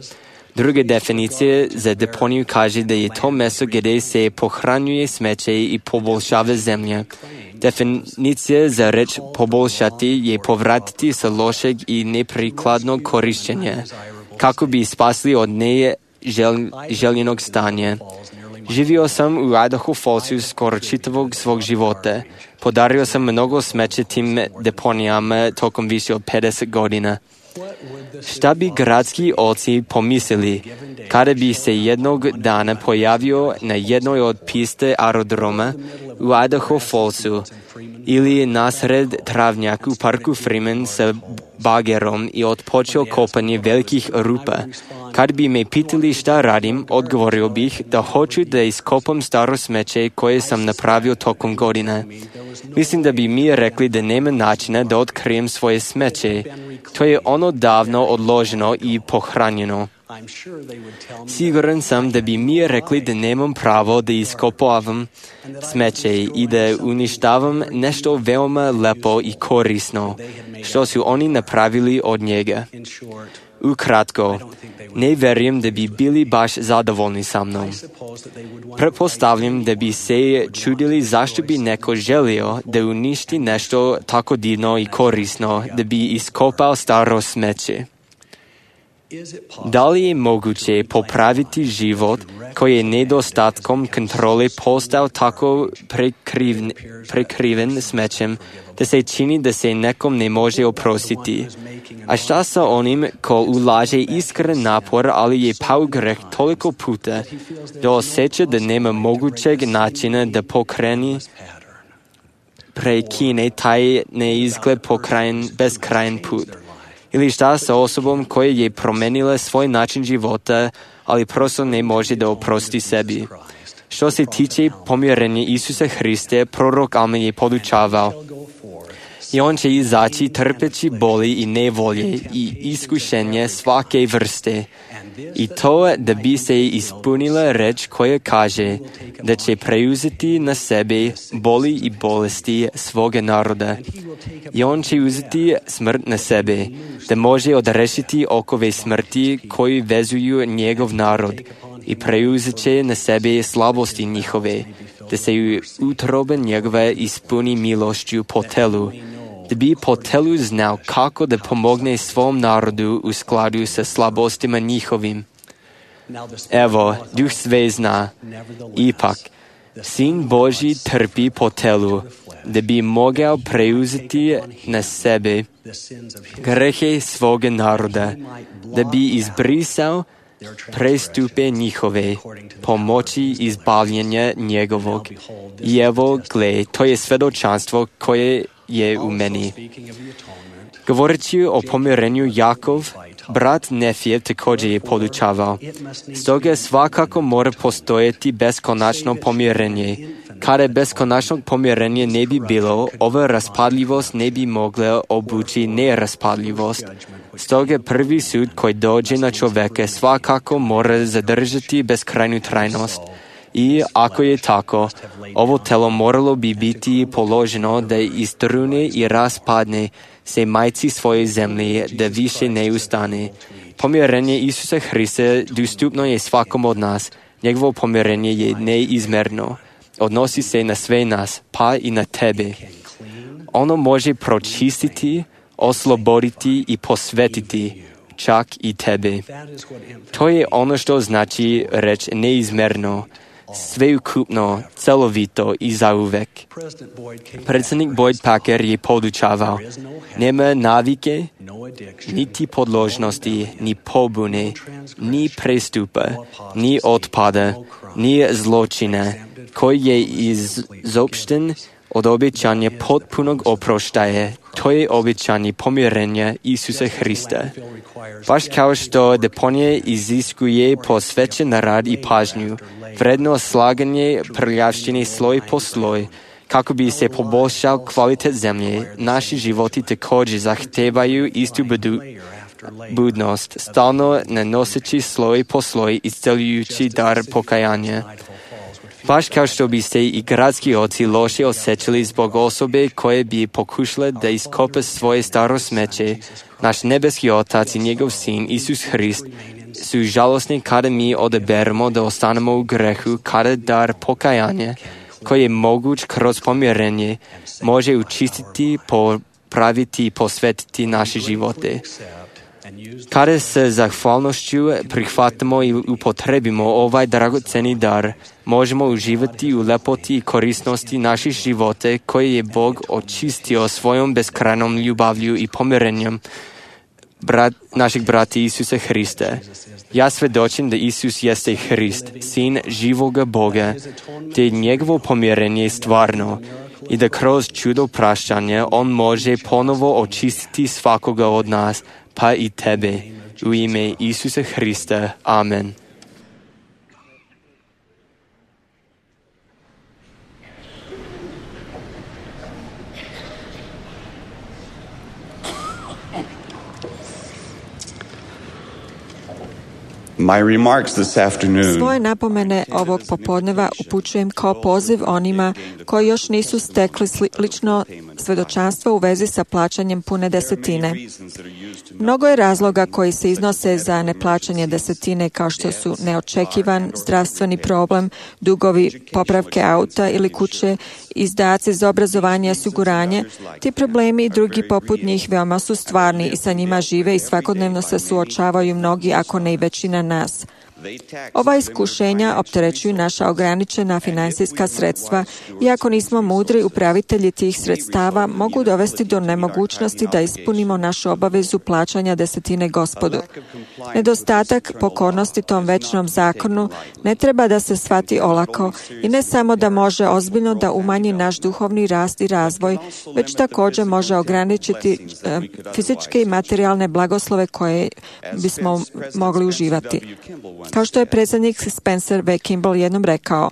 Druga definicija za deponiju kaže da je to mjesto gdje se pohranjuje smeće i poboljšava zemlja. Definicija za reč poboljšati je povratiti sa lošeg i neprikladnog korištenja, kako bi spasli od neželjenog stanja. Živio sam u Idaho Fallsu skoro čitavog svog života. Podario sam mnogo smeća tim deponijama tokom više od 50 godina. Šta bi gradski oci pomislili kada bi se jednog dana pojavio na jednoj od piste aerodroma u Idaho Fallsu ili nasred travnjaka u parku Freeman sa bagerom i odpočeo kopanje velikih rupa? Kad bi me pitali šta radim, odgovorio bih da hoću da iskopam staro smeće koje sam napravio tokom godina. Mislim da bi mi rekli da nema načina da otkrijem svoje smeće. To je ono davno odloženo i pohranjeno. Siguran sam da bi mi rekli da nemam pravo da iskopavam smeće i da uništavam nešto veoma lepo i korisno, što su oni napravili od njega. Ukratko, ne vjerujem da bi bili baš zadovoljni sa mnom. Pretpostavljam da bi se čudili zašto bi neko želio da uništi nešto tako divno i korisno, da bi iskopao staro smeće. Da li je moguće popraviti život koji je nedostatkom kontrole postao tako prekriven smećem da se čini da se nekom ne može oprostiti? A šta sa onim ko ulaže iskren napor, ali je pao greh toliko puta da osjeća da nema mogućeg načina da prekine taj neizgled beskrajen put? Ili šta sa osobom koja je promenila svoj način života, ali prosto ne može da oprosti sebi? Što se tiče pomirenja Isusa Hrista, prorok Alma je podučavao: i on će izaći trpeći boli i nevolje i iskušenje svake vrste. I to da bi se ispunila reč koja kaže da će preuzeti na sebe boli i bolesti svoga naroda. I on će uzeti smrt na sebe, da može odrešiti okove smrti koji vezuju njegov narod i preuzet će na sebe slabosti njihove, da se utroba njegove ispuni milošću po telu, da bi po telu znao kako da pomogne svom narodu u skladu sa slabostima njihovim. Evo, Duh sve zna. Ipak, Sin Božji trpi po telu, da bi mogao preuzeti na sebe grehe svoga naroda, da bi izbrisao prestupe njihove, pomoći izbavljenja njegovog. I evo, gle, to je svedočanstvo koje je u meni. Govoreći o pomirenju Jakov, brat Nefjev također je podučavao. Stoga svakako mora postojati beskonačno pomirenje. Kada beskonačnog pomirenja ne bi bilo, ova raspadljivost ne bi mogla obući neraspadljivost. Stoga prvi sud koji dođe na čovjeka svakako mora zadržati beskrajnu trajnost. I ako je tako, ovo telo moralo bi biti položeno da istrune i raspadne se majci svoje zemlje, da više ne ustane. Pomirenje Isusa Hrista dostupno je svakom od nas. Njegovo pomirenje je neizmerno. Odnosi se na sve nas, pa i na tebe. Ono može pročistiti, osloboditi i posvetiti, čak i tebe. To je ono što znači reč neizmerno, sveukupno, celovito i zauvek. Predsjednik Boyd Packer je podučavao, nema navike, niti podložnosti, ni pobune, ni prestupa, ni otpada, ni zločina, koji je izopšten od obećanja potpunog oproštaja. To je obećanje pomirenja Isusa Hrista. Baš kao što deponija iziskuje posvećen rad i pažnju, vredno slaganje prljavštine sloj po sloj, kako bi se poboljšao kvalitet zemlje, naši životi također zahtevaju istu budnost, stalno nanoseći sloj po sloj isceljujući dar pokajanja. Baš kao što bi se i gradski oci loše osjećali zbog osobe koje bi pokušale da iskopa svoje staro smeće, naš nebeski Otac i njegov Sin, Isus Hrist, su žalosni kada mi odaberemo da ostanemo u grehu, kada dar pokajanja, koji je moguć kroz pomirenje, može učistiti, popraviti i posvetiti naše živote. Kada se zahvalnošću prihvatimo i upotrebimo ovaj dragoceni dar, možemo uživati u lepoti i korisnosti naših života koje je Bog očistio svojom beskrajnom ljubavlju i pomirenjem našeg brata Isusa Hrista. Ja svedočim da Isus jeste Hrist, Sin živoga Boga, te njegovo pomirenje je stvarno i da kroz čudo praštanja On može ponovo očistiti svakoga od nas, pa i tebe. U ime Isusa Hrista. Amen. Svoje napomene ovog popodneva upućujem kao poziv onima koji još nisu stekli slično svedočanstvo u vezi sa plaćanjem pune desetine. Mnogo je razloga koji se iznose za neplaćanje desetine, kao što su neočekivan zdravstveni problem, dugovi popravke auta ili kuće, izdaci za obrazovanje i osiguranje. Ti problemi i drugi poput njih veoma su stvarni i sa njima žive i svakodnevno se suočavaju mnogi, ako ne i većina nas. Ova iskušenja opterećuju naša ograničena finansijska sredstva i ako nismo mudri upravitelji tih sredstava, mogu dovesti do nemogućnosti da ispunimo našu obavezu plaćanja desetine Gospodu. Nedostatak pokornosti tom večnom zakonu ne treba da se shvati olako i ne samo da može ozbiljno da umanji naš duhovni rast i razvoj, već također može ograničiti fizičke i materijalne blagoslove koje bismo mogli uživati. Kao što je predsjednik Spencer V. Kimball jednom rekao,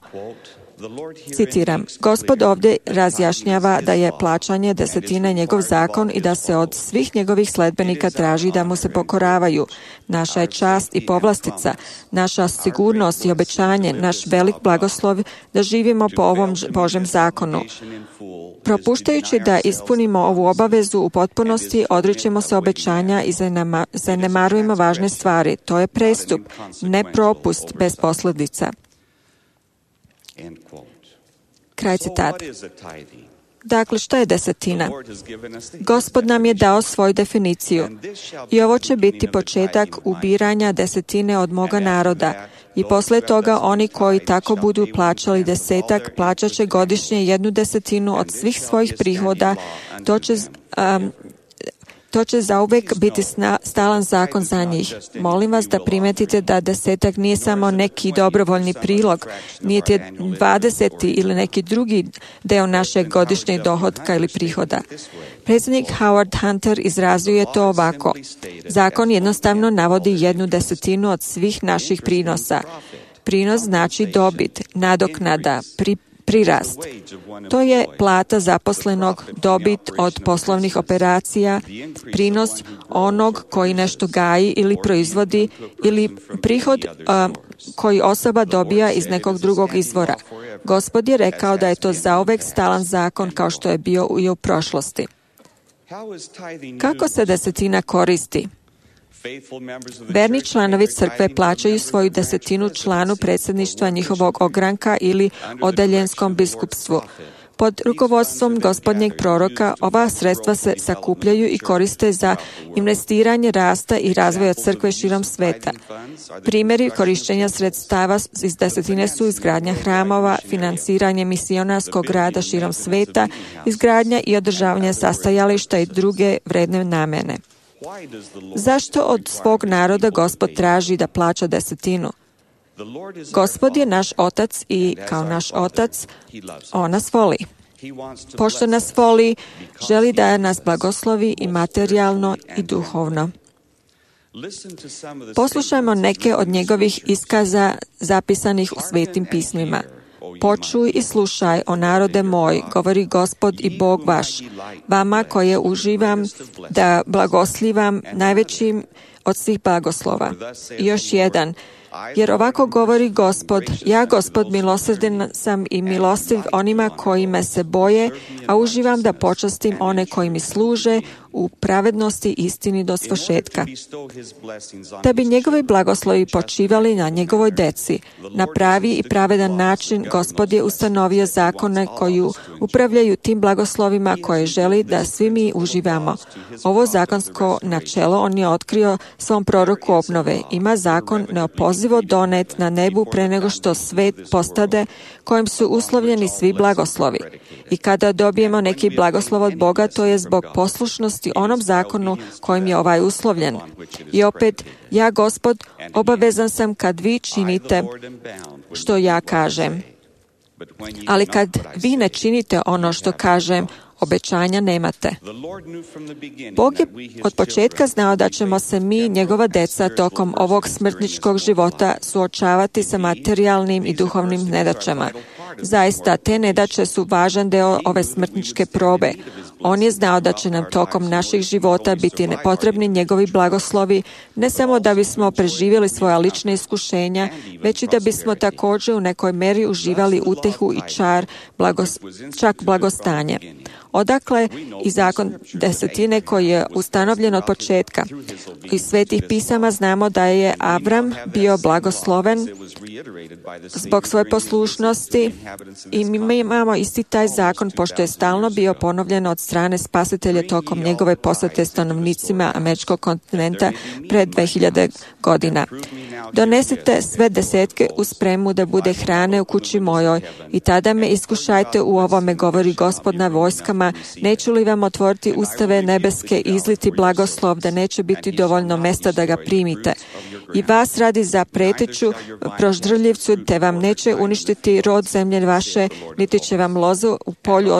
citiram, Gospod ovdje razjašnjava da je plaćanje desetine njegov zakon i da se od svih njegovih sledbenika traži da mu se pokoravaju. Naša je čast i povlastica, naša sigurnost i obećanje, naš velik blagoslov da živimo po ovom Božjem zakonu. Propuštajući da ispunimo ovu obavezu u potpunosti, odričemo se obećanja i zanemarujemo važne stvari. To je prestup, ne propust bez posljedica. Kraj citata. Dakle, šta je desetina? Gospod nam je dao svoju definiciju i ovo će biti početak ubiranja desetine od moga naroda. I posle toga oni koji tako budu plaćali desetak, plaćat će godišnje 1/10 od svih svojih prihoda. To će zauvek biti stalan zakon za njih. Molim vas da primetite da desetak nije samo neki dobrovoljni prilog, nije 20. ili neki drugi deo našeg godišnjeg dohotka ili prihoda. Predsjednik Howard Hunter izrazio je to ovako. Zakon jednostavno navodi 1/10 od svih naših prinosa. Prinos znači dobit, nadoknada, prirast. To je plata zaposlenog, dobit od poslovnih operacija, prinos onog koji nešto gaji ili proizvodi ili prihod koji osoba dobija iz nekog drugog izvora. Gospod je rekao da je to zauvek stalan zakon kao što je bio i u prošlosti. Kako se desetina koristi? Verni članovi crkve plaćaju svoju desetinu članu predsjedništva njihovog ogranka ili odaljenskom biskupstvu. Pod rukovodstvom gospodnjeg proroka ova sredstva se sakupljaju i koriste za investiranje rasta i razvoja crkve širom sveta. Primjeri korištenja sredstava iz desetine su izgradnja hramova, finansiranje misionarskog rada širom sveta, izgradnja i održavanje sastajališta i druge vredne namene. Zašto od svog naroda Gospod traži da plaća desetinu? Gospod je naš otac i kao naš otac, on nas voli. Pošto nas voli, želi da nas blagoslovi i materijalno i duhovno. Poslušajmo neke od njegovih iskaza zapisanih u svetim pismima. Počuj i slušaj, o narode moj, govori Gospod i Bog vaš, vama koje uživam da blagoslivam najvećim od svih blagoslova. I još jedan, jer ovako govori Gospod, ja Gospod milosrdan sam i milostiv onima koji me se boje, a uživam da počastim one koji mi služe u pravednosti istini do svršetka. Da bi njegovi blagoslovi počivali na njegovoj deci, na pravi i pravedan način Gospod je ustanovio zakone koji upravljaju tim blagoslovima koje želi da svi mi uživamo. Ovo zakonsko načelo on je otkrio svom proroku obnove. Ima zakon neopozivo donet na nebu pre nego što svet postade, kojim su uslovljeni svi blagoslovi. I kada dobijemo neki blagoslov od Boga, to je zbog poslušnosti onom zakonu kojim je ovaj uslovljen. I opet, ja Gospod obavezan sam kad vi činite što ja kažem. Ali kad vi ne činite ono što kažem, obećanja nemate. Bog je od početka znao da ćemo se mi, njegova deca, tokom ovog smrtničkog života suočavati sa materijalnim i duhovnim nedaćama. Zaista, te nedaće su važan deo ove smrtničke probe. On je znao da će nam tokom naših života biti potrebni njegovi blagoslovi, ne samo da bismo preživjeli svoja lična iskušenja, već i da bismo također u nekoj meri uživali utehu i čar, čak blagostanje. Odakle i zakon desetine koji je ustanovljen od početka. Iz svetih pisama znamo da je Avram bio blagosloven zbog svoje poslušnosti i mi imamo isti taj zakon pošto je stalno bio ponovljen od strane spasitelja tokom njegove posete stanovnicima američkog kontinenta pred 2000 godina. Donesite sve desetke u spremu da bude hrane u kući mojoj i tada me iskušajte u ovome, govori Gospod na vojskama, neću li vam otvoriti ustave nebeske i izliti blagoslov da neće biti dovoljno mesta da ga primite. I vas radi za preteću proždrljivcu, te vam neće uništiti rod zemlje vaše, niti će vam lozu u polju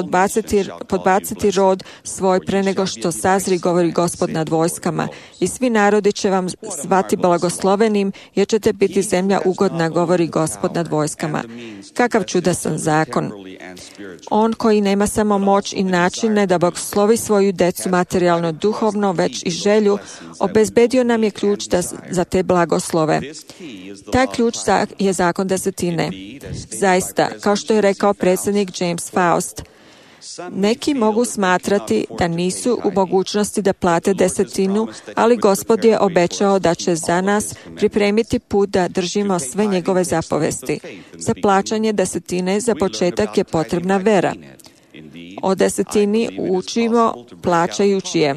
podbaciti rod svoj pre nego što sazri, govori Gospod nad vojskama. I svi narodi će vam zvati blagoslovenim, jer ćete biti zemlja ugodna, govori Gospod nad vojskama. Kakav čudasan zakon! On koji nema samo moć i načine da blagoslovi svoju decu materijalno duhovno, već i želju, obezbedio nam je ključ za te blagoslove. Taj ključ je zakon desetine. Zaista, kao što je rekao predsjednik James Faust, neki mogu smatrati da nisu u mogućnosti da plate desetinu, ali Gospod je obećao da će za nas pripremiti put da držimo sve njegove zapovesti. Za plaćanje desetine za početak je potrebna vera. O desetini učimo plaćajući je.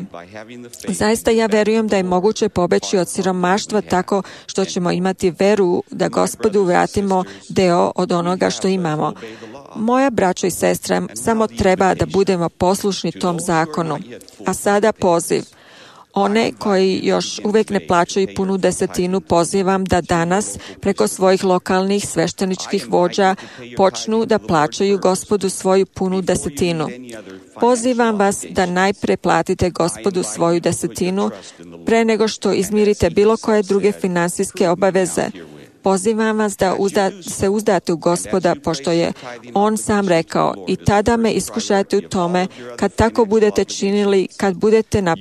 Zaista ja verujem da je moguće pobeći od siromaštva tako što ćemo imati veru da Gospodu vratimo deo od onoga što imamo. Moja braćo i sestra, samo treba da budemo poslušni tom zakonu. A sada poziv. One koji još uvijek ne plaćaju punu desetinu, pozivam da danas preko svojih lokalnih svešteničkih vođa počnu da plaćaju Gospodu svoju punu desetinu. Pozivam vas da najpre platite Gospodu svoju desetinu pre nego što izmirite bilo koje druge finansijske obaveze. Pozivam vas da se uzdate u Gospoda, pošto je On sam rekao, i tada me iskušajte u tome, kad tako budete činili, kad budete na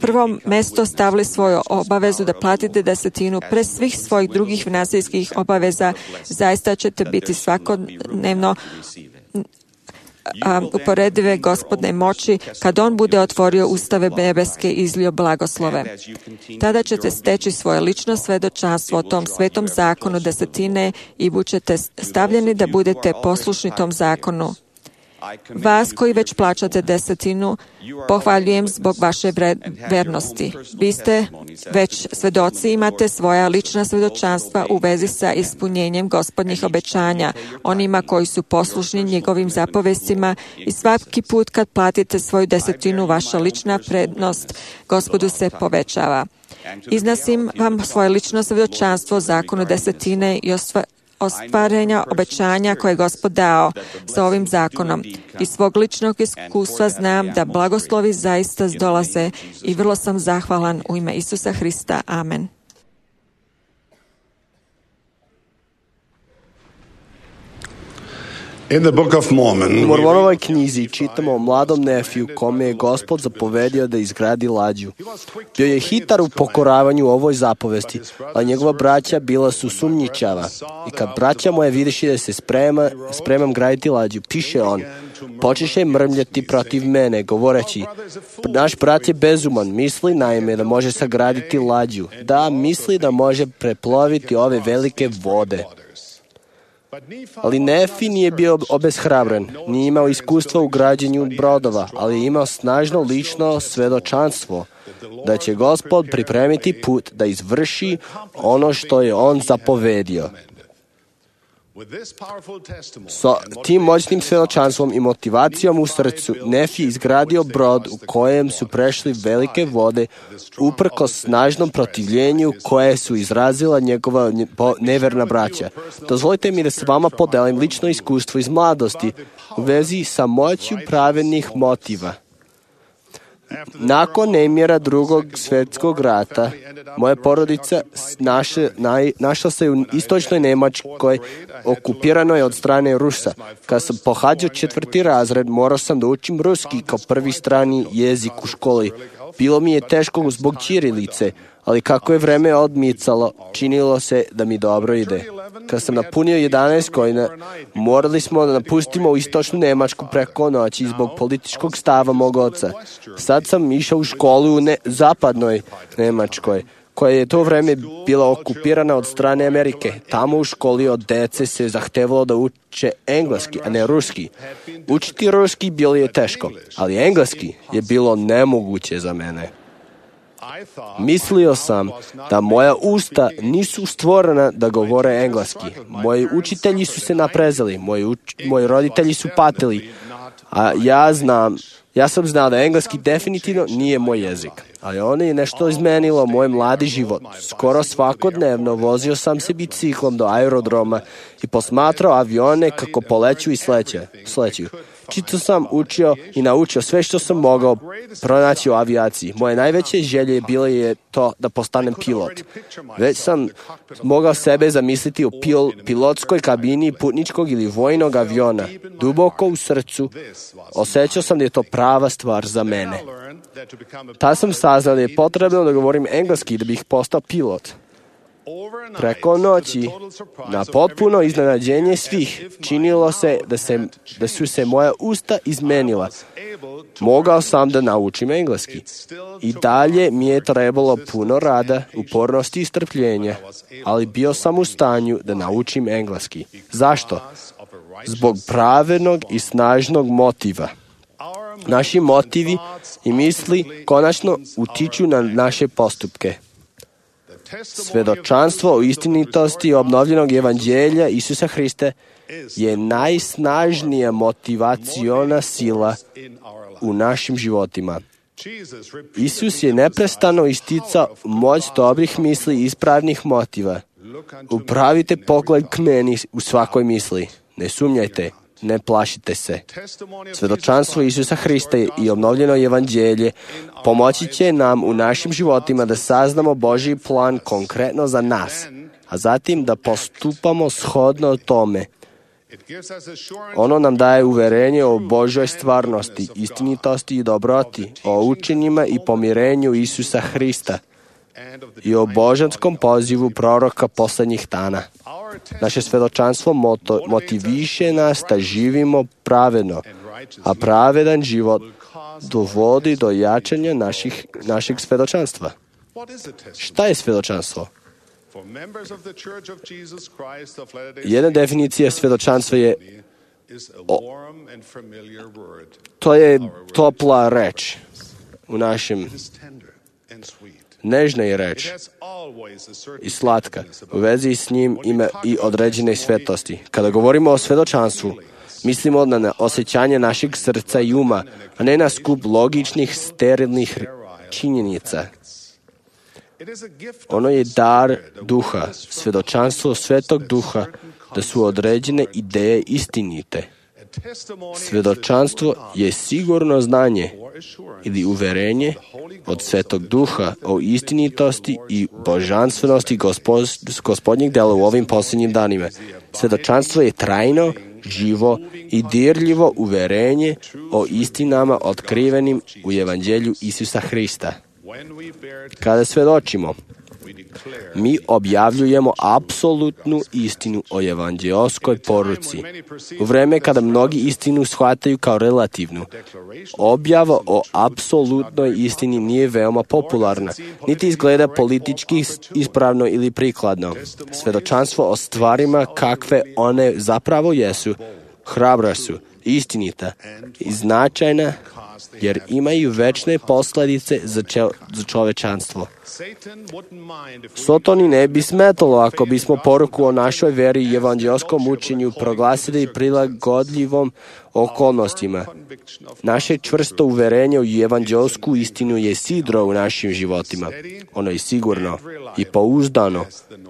prvo mesto stavili svoju obavezu da platite desetinu pre svih svojih drugih finansijskih obaveza, zaista ćete biti svakodnevno uporedive Gospodne moći kad On bude otvorio ustave nebeske i izlio blagoslove. Tada ćete steći svoje lično svedočanstvo o tom svetom zakonu desetine i bućete stavljeni da budete poslušni tom zakonu. Vas koji već plaćate desetinu, pohvaljujem zbog vaše vernosti. Vi ste već svedoci, imate svoja lična svedočanstva u vezi sa ispunjenjem Gospodnjih obećanja, onima koji su poslušni njegovim zapovestima, i svaki put kad platite svoju desetinu, vaša lična prednost Gospodu se povećava. Iznosim vam svoje lično svedočanstvo o zakonu desetine i ostvarenja obećanja koje je Gospod dao sa ovim zakonom. Iz svog ličnog iskustva znam da blagoslovi zaista dolaze i vrlo sam zahvalan u ime Isusa Hrista. Amen. U Mormonovoj knjizi čitamo o mladom Nefiju kome je Gospod zapovedio da izgradi lađu. Bio je hitar u pokoravanju ovoj zapovesti, a njegova braća bila su sumnjičava. I kad braća moje vidiši da se spremam graditi lađu, piše on, počeše mrmljati protiv mene, govoreći, naš brat je bezuman, misli naime da može sagraditi lađu. Da, misli da može preploviti ove velike vode. Ali Nefi nije bio obeshrabren, nije imao iskustva u građenju brodova, ali je imao snažno lično svedočanstvo da će Gospod pripremiti put da izvrši ono što je on zapovedio. Sa tim moćnim svedočanstvom i motivacijom u srcu, Nefi je izgradio brod u kojem su prešli velike vode uprkos snažnom protivljenju koje su izrazila njegova neverna braća. Dozvolite mi da se vama podelim lično iskustvo iz mladosti u vezi sa moću pravednih motiva. Nakon nemira Drugog svjetskog rata, moja porodica našla se u istočnoj Nemačkoj, okupiranoj od strane Rusa. Kad sam pohađao 4. razred, morao sam da učim ruski kao prvi strani jezik u školi. Bilo mi je teško zbog ćirilice, ali kako je vreme odmicalo, činilo se da mi dobro ide. Kad sam napunio 11 godina, morali smo da napustimo u istočnu Nemačku preko noći zbog političkog stava mog oca. Sad sam išao u školu u zapadnoj Nemačkoj, koja je to vreme bila okupirana od strane Amerike. Tamo u školi od dece se zahtevalo da uče engleski, a ne ruski. Učiti ruski bilo je teško, ali engleski je bilo nemoguće za mene. Mislio sam da moja usta nisu stvorena da govore engleski. Moji učitelji su se naprezali, moji roditelji su patili, a ja sam znao da engleski definitivno nije moj jezik. Ali ono je nešto izmenilo moj mladi život. Skoro svakodnevno vozio sam se biciklom do aerodroma i posmatrao avione kako poleću i sleću. Čito sam učio i naučio sve što sam mogao pronaći u avijaciji. Moje najveće želje bilo je to da postanem pilot. Već sam mogao sebe zamisliti u pilotskoj kabini putničkog ili vojnog aviona. Duboko u srcu osjećao sam da je to prava stvar za mene. Tad sam saznao da je potrebno da govorim engleski da bih postao pilot. Preko noći, na potpuno iznenađenje svih, činilo se da su se moja usta izmenila. Mogao sam da naučim engleski. I dalje mi je trebalo puno rada, upornosti i strpljenja, ali bio sam u stanju da naučim engleski. Zašto? Zbog pravednog i snažnog motiva. Naši motivi i misli konačno utiču na naše postupke. Svedočanstvo o istinitosti obnovljenog evanđelja Isusa Hrista je najsnažnija motivaciona sila u našim životima. Isus je neprestano isticao moć dobrih misli i ispravnih motiva. Upravite pogled k meni u svakoj misli. Ne sumnjajte, ne plašite se. Svedočanstvo Isusa Hrista i obnovljeno evanđelje pomoći će nam u našim životima da saznamo Božji plan konkretno za nas, a zatim da postupamo shodno tome. Ono nam daje uverenje o Božoj stvarnosti, istinitosti i dobroti, o učenjima i pomirenju Isusa Hrista i o božanskom pozivu proroka poslednjih dana. Naše svedočanstvo motiviše nas da živimo pravedno, a pravedan život dovodi do jačanja našeg svedočanstva. Šta je svedočanstvo? Jedna definicija svedočanstva je to je topla reč u našem nežna je reč i slatka. U vezi s njim ima i određene svetosti. Kada govorimo o svedočanstvu, mislimo na osjećanje našeg srca i uma, a ne na skup logičnih, sterilnih činjenica. Ono je dar duha, svedočanstvo Svetog Duha, da su određene ideje istinite. Svedočanstvo je sigurno znanje ili uverenje od Svetog Duha o istinitosti i božanstvenosti gospodnjeg dela u ovim posljednjim danima. Svedočanstvo je trajno, živo i dirljivo uverenje o istinama otkrivenim u evanđelju Isusa Hrista. Kada svedočimo, mi objavljujemo apsolutnu istinu o evanđeoskoj poruci. U vreme kada mnogi istinu shvataju kao relativnu, objava o apsolutnoj istini nije veoma popularna, niti izgleda politički ispravno ili prikladno. Svedočanstvo o stvarima kakve one zapravo jesu, hrabra su, istinita i značajna, jer imaju večne posljedice za čovečanstvo. Sotoni ne bi smetalo ako bismo poruku o našoj veri i evanđelskom učenju proglasili prilagodljivom okolnostima. Naše čvrsto uverenje u evanđelsku istinu je sidro u našim životima. Ono je sigurno i pouzdano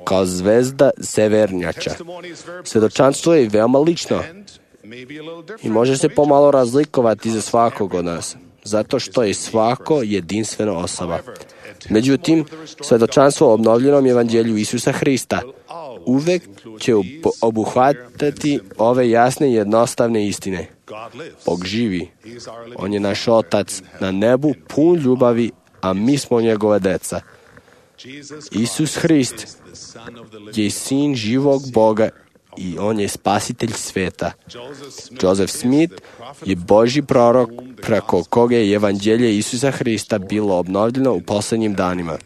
kao zvezda severnjača. Svedočanstvo je veoma lično i može se pomalo razlikovati za svakog od nas, zato što je svako jedinstvena osoba. Međutim, svedočanstvo o obnovljenom evanđelju Isusa Hrista uvek će obuhvatati ove jasne i jednostavne istine. Bog živi. On je naš Otac na nebu pun ljubavi, a mi smo njegove deca. Isus Hrist je sin živog Boga i on je spasitelj sveta. Joseph Smith je Božji prorok preko koga je evanđelje Isusa Hrista bilo obnovljeno u posljednjim danima.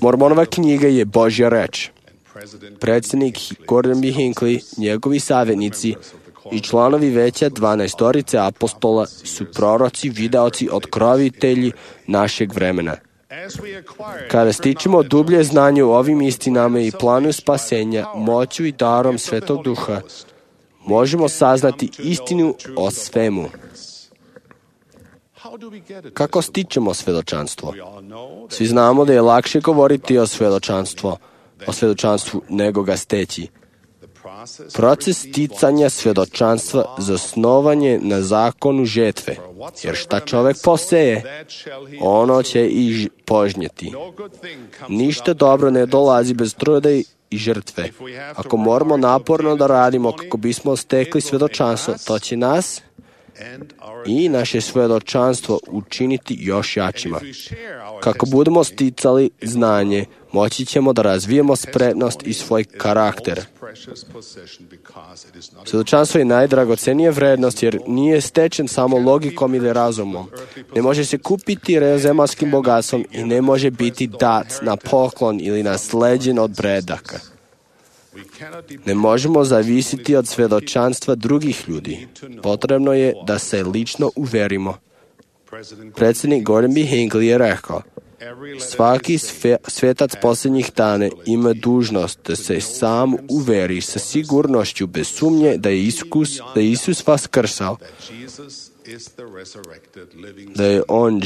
Mormonova knjiga je Božja reč. Predsjednik Gordon B. Hinckley, njegovi savjetnici i članovi veća 12 apostola su proroci, videoci, otkrovitelji našeg vremena. Kada stičemo dublje znanje o ovim istinama i planu spasenja, moću i darom Svetog Duha, možemo saznati istinu o svemu. Kako stičemo svedočanstvo? Svi znamo da je lakše govoriti o svedočanstvu nego ga steći. Proces sticanja svedočanstva zasnovan je na zakonu žetve, jer šta čovek poseje, ono će i požnjeti. Ništa dobro ne dolazi bez truda i žrtve. Ako moramo naporno da radimo kako bismo stekli svedočanstvo, to će nas i naše svedočanstvo učiniti još jačima. Kako budemo sticali znanje, moći ćemo da razvijemo spretnost i svoj karakter. Svedočanstvo je najdragocenija vrednost jer nije stečen samo logikom ili razumom. Ne može se kupiti zemaljskim bogatstvom i ne može biti dat na poklon ili nasleđen od predaka. Ne možemo zavisiti od svedočanstva drugih ljudi. Potrebno je da se lično uverimo. Predsjednik Gordon B. Hinckley je rekao, svaki svetac posljednjih dana ima dužnost da se sam uveri sa sigurnošću bez sumnje da je Isus vaskrsao, da je on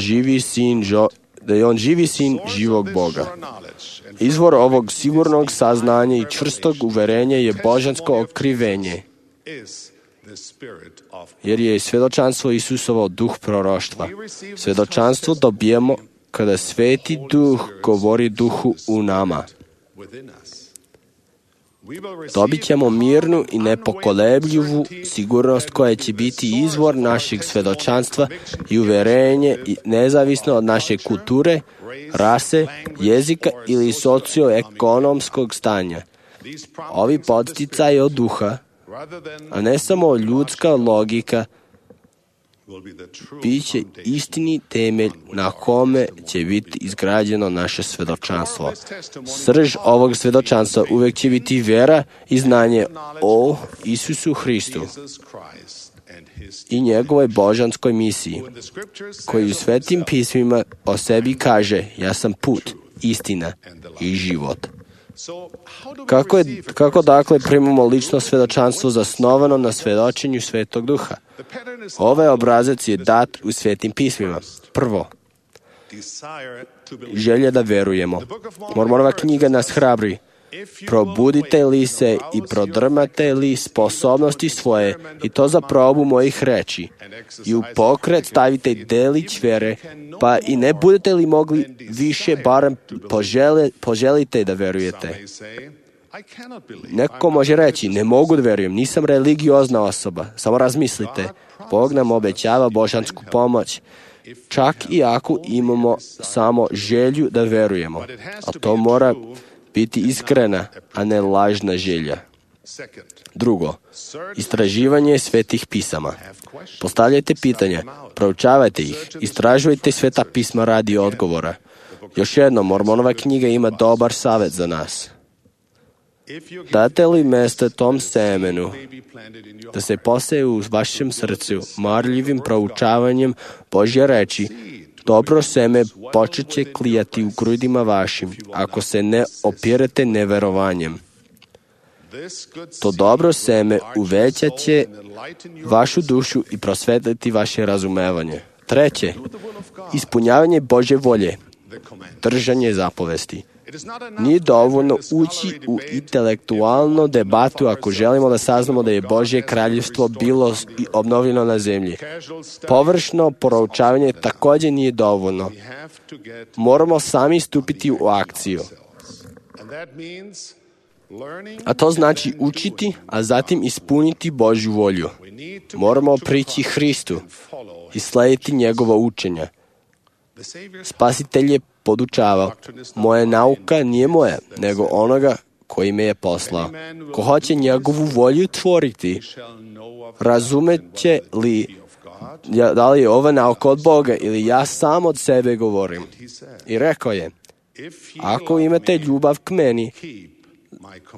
živi sin živog Boga. Izvor ovog sigurnog saznanja i čvrstog uverenja je božansko otkrivenje, jer je svjedočanstvo Isusovo duh proroštva. Svjedočanstvo dobijemo kada Sveti Duh govori duhu u nama. Dobit ćemo mirnu i nepokolebljivu sigurnost koja će biti izvor našeg svjedočanstva i uverenje nezavisno od naše kulture, rase, jezika ili socioekonomskog stanja. Ovi podsticaji od duha, a ne samo ljudska logika, bit će istini temelj na kome će biti izgrađeno naše svjedočanstvo. Srž ovog svjedočanstva uvijek će biti vjera i znanje o Isusu Hristu i njegovoj božanskoj misiji, koji u svetim pismima o sebi kaže, ja sam put, istina i život. Kako dakle primamo lično svjedočanstvo zasnovano na svjedočenju Svetog Duha? Ovaj obrazac je dat u Svetim pismima. Prvo, želja da verujemo. Mormonova knjiga nas hrabri. Probudite li se i prodrmate li sposobnosti svoje i to za probu mojih reči i u pokret stavite delić vere, pa i ne budete li mogli više, barem poželite da verujete. Neko može reći, ne mogu da verujem, nisam religiozna osoba. Samo razmislite, Bog nam obećava božansku pomoć, čak i ako imamo samo želju da verujemo. A to mora biti iskrena, a ne lažna želja. Drugo, istraživanje svetih pisama. Postavljajte pitanja, proučavajte ih, istražujte sveta pisma radi odgovora. Još jedno, Mormonova knjiga ima dobar savjet za nas. Date li mjesto tom semenu da se poseje u vašem srcu marljivim proučavanjem Božje reči, dobro seme počet će klijati u grudima vašim, ako se ne opirete neverovanjem. To dobro seme uvećat će vašu dušu i prosvetliti vaše razumevanje. Treće, ispunjavanje Božje volje, držanje zapovesti. Nije dovoljno ući u intelektualnu debatu ako želimo da saznamo da je Božje kraljevstvo bilo obnovljeno na zemlji. Površno proučavanje također nije dovoljno. Moramo sami stupiti u akciju. A to znači učiti, a zatim ispuniti Božju volju. Moramo prići Hristu i slijediti njegovo učenje. Spasitelj je podučavao, moja nauka nije moja, nego onoga koji me je poslao. Ko hoće njegovu volju tvoriti, razumeće li da li je ova nauka od Boga ili ja sam od sebe govorim. I rekao je, ako imate ljubav k meni,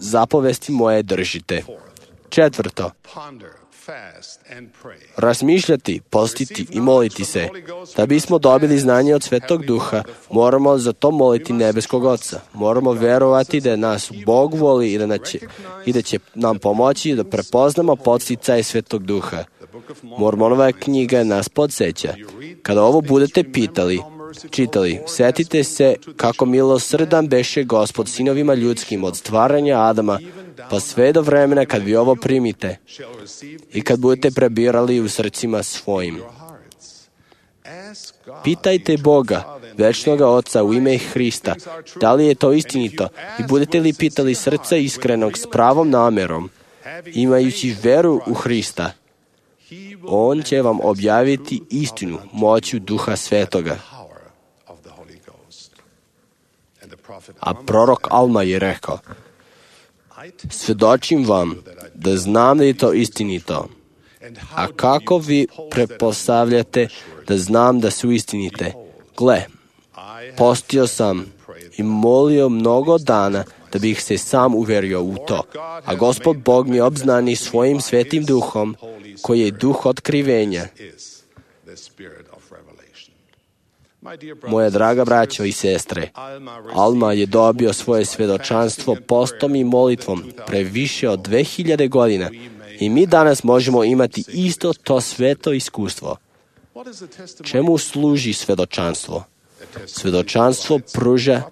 zapovesti moje držite. Četvrto, razmišljati, postiti i moliti se. Da bismo dobili znanje od Svetog Duha, moramo za to moliti nebeskog Oca. Moramo verovati da nas Bog voli i da će nam pomoći da prepoznamo podsticaje Svetog Duha. Mormonova knjiga nas podsjeća. Kada ovo budete čitali, sjetite se kako milosrdan beše Gospod sinovima ljudskim od stvaranja Adama, pa sve do vremena kad vi ovo primite i kad budete prebirali u srcima svojim. Pitajte Boga, večnoga Oca u ime Hrista, da li je to istinito i budete li pitali srca iskrenog s pravom namjerom, imajući veru u Hrista, On će vam objaviti istinu moću Duha Svetoga. A prorok Alma je rekao, svjedočim vam da znam da je to istinito. A kako vi pretpostavljate da znam da su istinite? Gle, postio sam i molio mnogo dana da bih se sam uverio u to. A Gospod Bog mi obznani svojim svetim duhom, koji je duh otkrivenja. Moja draga braćo i sestre, Alma je dobio svoje svedočanstvo postom i molitvom pre više od 2000 godina i mi danas možemo imati isto to sveto iskustvo. Čemu služi svedočanstvo? Svedočanstvo pruža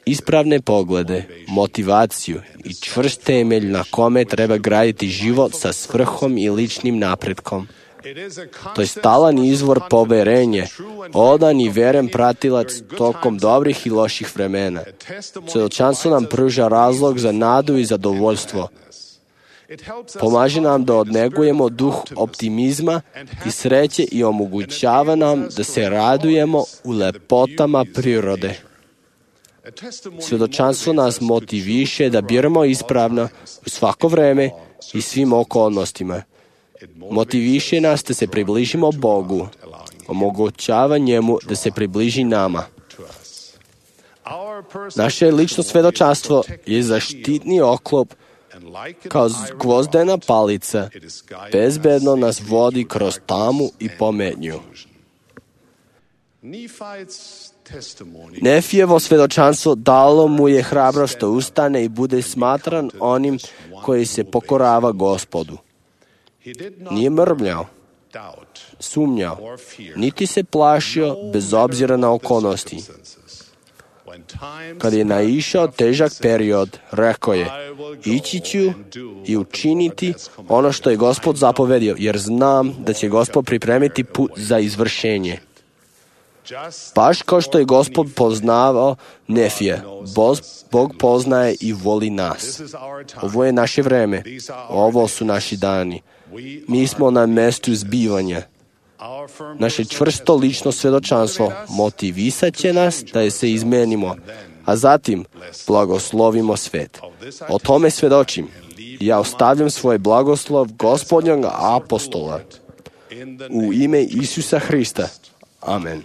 ispravne poglede, motivaciju i čvrst temelj na kome treba graditi život sa svrhom i ličnim napretkom. To je stalan izvor poverenje, odan i veren pratilac tokom dobrih i loših vremena. Svedočanstvo nam pruža razlog za nadu i zadovoljstvo. Pomaže nam da odnegujemo duh optimizma i sreće i omogućava nam da se radujemo u lepotama prirode. Svedočanstvo nas motiviše da biramo ispravno u svako vreme i svim okolnostima. Motiviše nas da se približimo Bogu, omogućava njemu da se približi nama. Naše lično svedočanstvo je zaštitni oklop kao gvozdena palica, bezbedno nas vodi kroz tamu i pometnju. Nefijevo svedočanstvo dalo mu je hrabrost da ustane i bude smatran onim koji se pokorava Gospodu. Nije mrmljao, sumnjao, niti se plašio bez obzira na okolnosti. Kad je naišao težak period, rekao je, ići ću i učiniti ono što je Gospod zapovedio, jer znam da će Gospod pripremiti put za izvršenje. Baš kao što je Gospod poznavao Nefije, Bog poznaje i voli nas. Ovo je naše vreme, ovo su naši dani. Mi smo na mestu zbivanja. Naše čvrsto lično svedočanstvo motivisat će nas da se izmenimo, a zatim blagoslovimo svet. O tome svedočim. Ja ostavljam svoj blagoslov Gospodnjeg apostola. U ime Isusa Hrista. Amen.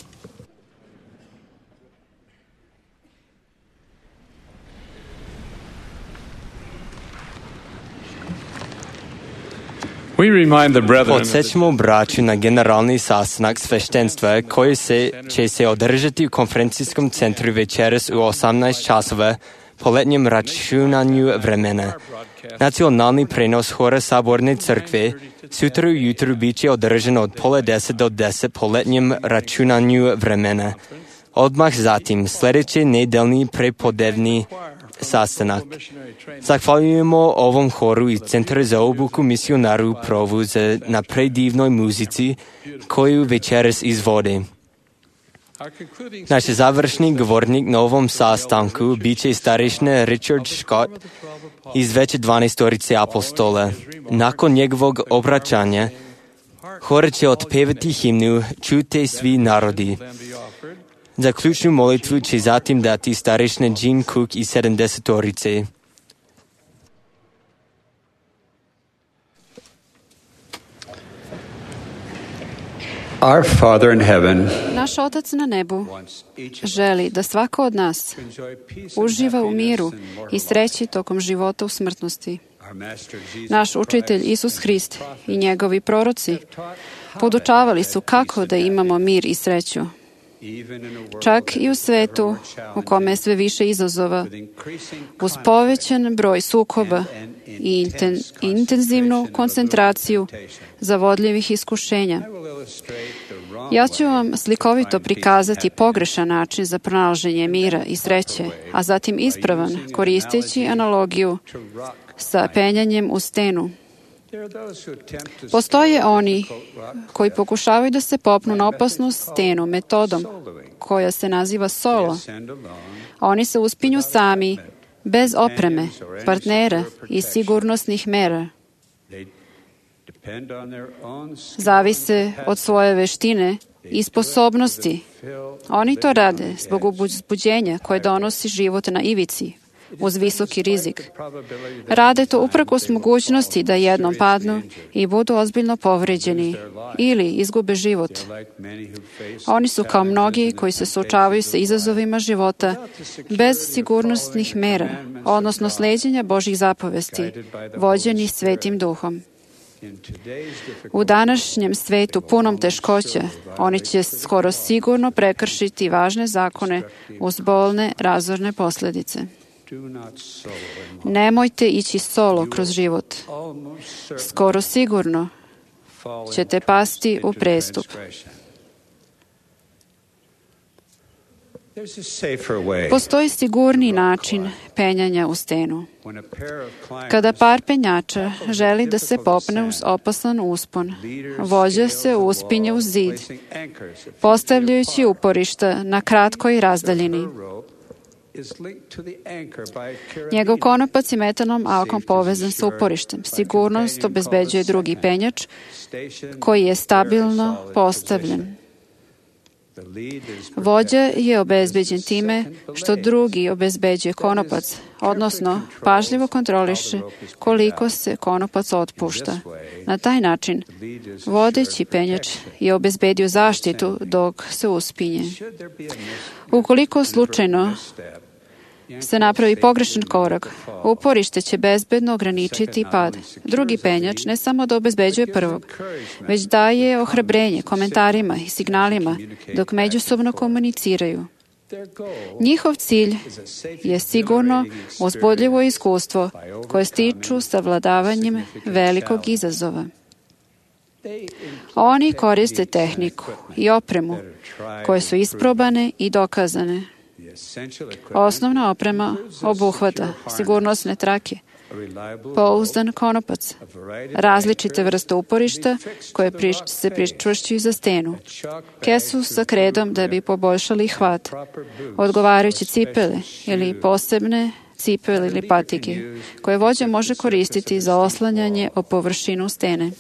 Podsjećamo braću na generalni sastanak sveštenstva koji će se održati u konferencijskom centru večeras u 18 časova po letnjem računanju vremena. Nacionalni prenos hora Saborne crkve sutra ujutru bit će održan od 9:30 do 10 po letnjem računanju vremena. Odmah zatim sljedeći nedeljni prepodnevni sastanak. Zahvaljujemo ovom horu i Centru za obuku misionaru Provu na predivnoj muzici koju večeras izvode. Naš završni govornik na ovom sastanku bit će starešina Richard Scott iz veće 12 apostola. Nakon njegovog obraćanja, hor će otpevati himnu Čujte svi narodi. Za ključnu molitvu će zatim dati starešina Jean Cook iz 70. Our Father in heaven, naš Otac na nebu želi da svako od nas uživa u miru i sreći tokom života u smrtnosti. Naš učitelj Isus Hrist i njegovi proroci podučavali su kako da imamo mir i sreću. Čak i u svetu u kome je sve više izazova, uz povećan broj sukoba i intenzivnu koncentraciju zavodljivih iskušenja. Ja ću vam slikovito prikazati pogrešan način za pronalaženje mira i sreće, a zatim ispravan, koristeći analogiju sa penjanjem u stenu. Postoje oni koji pokušavaju da se popnu na opasnu stenu metodom koja se naziva solo. Oni se uspinju sami, bez opreme, partnera i sigurnosnih mera. Zavise od svoje veštine i sposobnosti. Oni to rade zbog uzbuđenja koje donosi život na ivici, uz visoki rizik. Rade to uprkos mogućnosti da jednom padnu i budu ozbiljno povređeni ili izgube život. Oni su kao mnogi koji se suočavaju sa izazovima života bez sigurnosnih mera, odnosno sleđenja Božjih zapovesti, vođeni Svetim Duhom. U današnjem svetu punom teškoća, oni će skoro sigurno prekršiti važne zakone uz bolne, razorne posljedice. Nemojte ići solo kroz život. Skoro sigurno ćete pasti u prestup. Postoji sigurniji način penjanja u stenu. Kada par penjača želi da se popne uz opasan uspon, vođa se uspinje uz zid, postavljajući uporišta na kratkoj razdaljini. Njegov konopac je metalnom alkom povezan sa uporištem. Sigurnost obezbeđuje drugi penjač koji je stabilno postavljen. Vođa je obezbeđen time što drugi obezbeđuje konopac, odnosno pažljivo kontroliše koliko se konopac otpušta. Na taj način, vodeći penjač je obezbedio zaštitu dok se uspinje. Ukoliko slučajno se napravi pogrešan korak, uporište će bezbedno ograničiti pad. Drugi penjač ne samo da obezbeđuje prvog, već daje ohrabrenje komentarima i signalima dok međusobno komuniciraju. Njihov cilj je sigurno uzbudljivo iskustvo koje stiču savladavanjem velikog izazova. Oni koriste tehniku i opremu koje su isprobane i dokazane. Osnovna oprema obuhvata sigurnosne trake, pouzdan konopac, različite vrste uporišta koje se pričvršćuju za stenu, kesu sa kredom da bi poboljšali hvat, odgovarajuće cipele ili posebne cipele ili patike, koje vođa može koristiti za oslanjanje o površinu stene.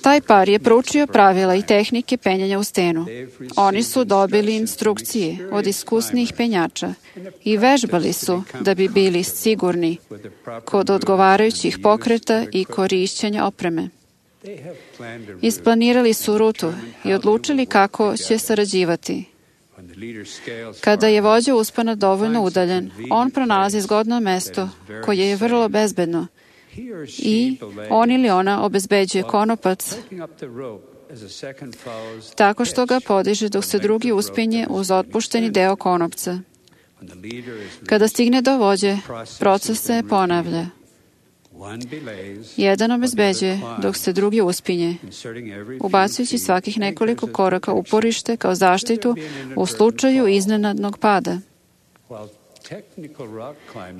Taj par je proučio pravila i tehnike penjanja u stenu. Oni su dobili instrukcije od iskusnih penjača i vežbali su da bi bili sigurni kod odgovarajućih pokreta i korišćenja opreme. Isplanirali su rutu i odlučili kako će sarađivati. Kada je vođa uspona dovoljno udaljen, on pronalazi zgodno mesto koje je vrlo bezbedno i on ili ona obezbeđuje konopac tako što ga podiže dok se drugi uspinje uz otpušteni deo konopca. Kada stigne do vođe, proces se ponavlja. Jedan obezbeđuje dok se drugi uspinje, ubacujući svakih nekoliko koraka uporište kao zaštitu u slučaju iznenadnog pada.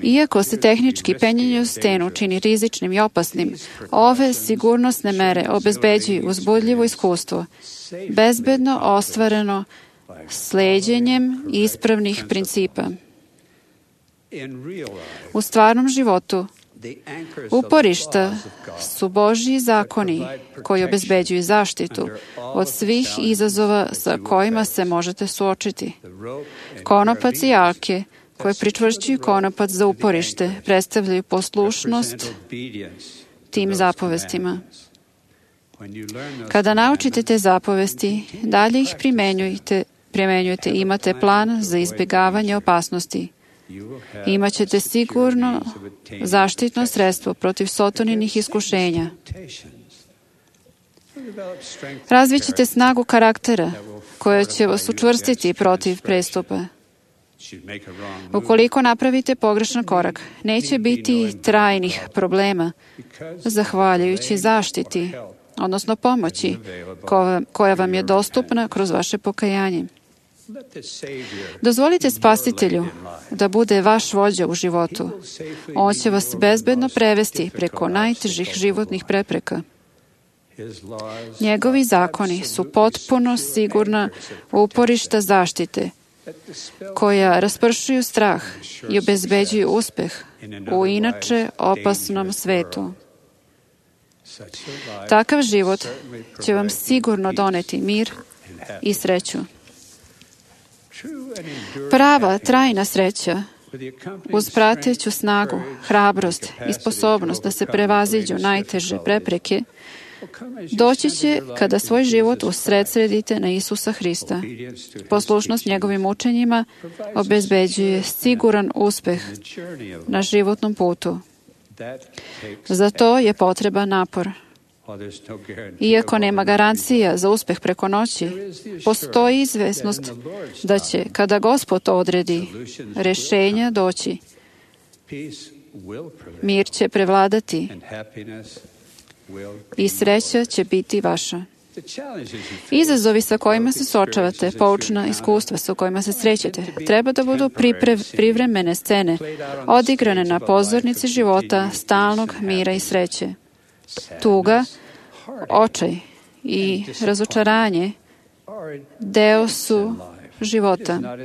Iako se tehnički penjanje u stenu čini rizičnim i opasnim, ove sigurnosne mere obezbeđuju uzbudljivo iskustvo, bezbedno ostvareno sleđenjem ispravnih principa. U stvarnom životu, uporišta su Božji zakoni koji obezbeđuju zaštitu od svih izazova sa kojima se možete suočiti. Konopac i alke koje pričvršćuju konopac za uporište predstavljaju poslušnost tim zapovestima. Kada naučite te zapovesti, dalje ih primjenjujete i imate plan za izbjegavanje opasnosti. Imaćete sigurno zaštitno sredstvo protiv sotoninih iskušenja. Razvićete snagu karaktera koja će vas učvrstiti protiv prestupa. Ukoliko napravite pogrešan korak, neće biti trajnih problema zahvaljujući zaštiti, odnosno pomoći koja vam je dostupna kroz vaše pokajanje. Dozvolite Spasitelju da bude vaš vođa u životu. On će vas bezbedno prevesti preko najtežih životnih prepreka. Njegovi zakoni su potpuno sigurna uporišta zaštite koja raspršuju strah i obezbeđuju uspeh u inače opasnom svetu. Takav život će vam sigurno doneti mir i sreću. Prava, trajna sreća, uz prateću snagu, hrabrost i sposobnost da se prevaziđu najteže prepreke, doći će kada svoj život usredsredite na Isusa Hrista. Poslušnost njegovim učenjima obezbeđuje siguran uspeh na životnom putu. Za to je potreban napor. Iako nema garancija za uspeh preko noći, postoji izvesnost da će, kada Gospod odredi, rješenja doći. Mir će prevladati i sreća će biti vaša. Izazovi sa kojima se suočavate, poučna iskustva sa kojima se srećete, treba da budu privremene scene, odigrane na pozornici života, stalnog mira i sreće. Tuga, očaj i razočaranje deo su života.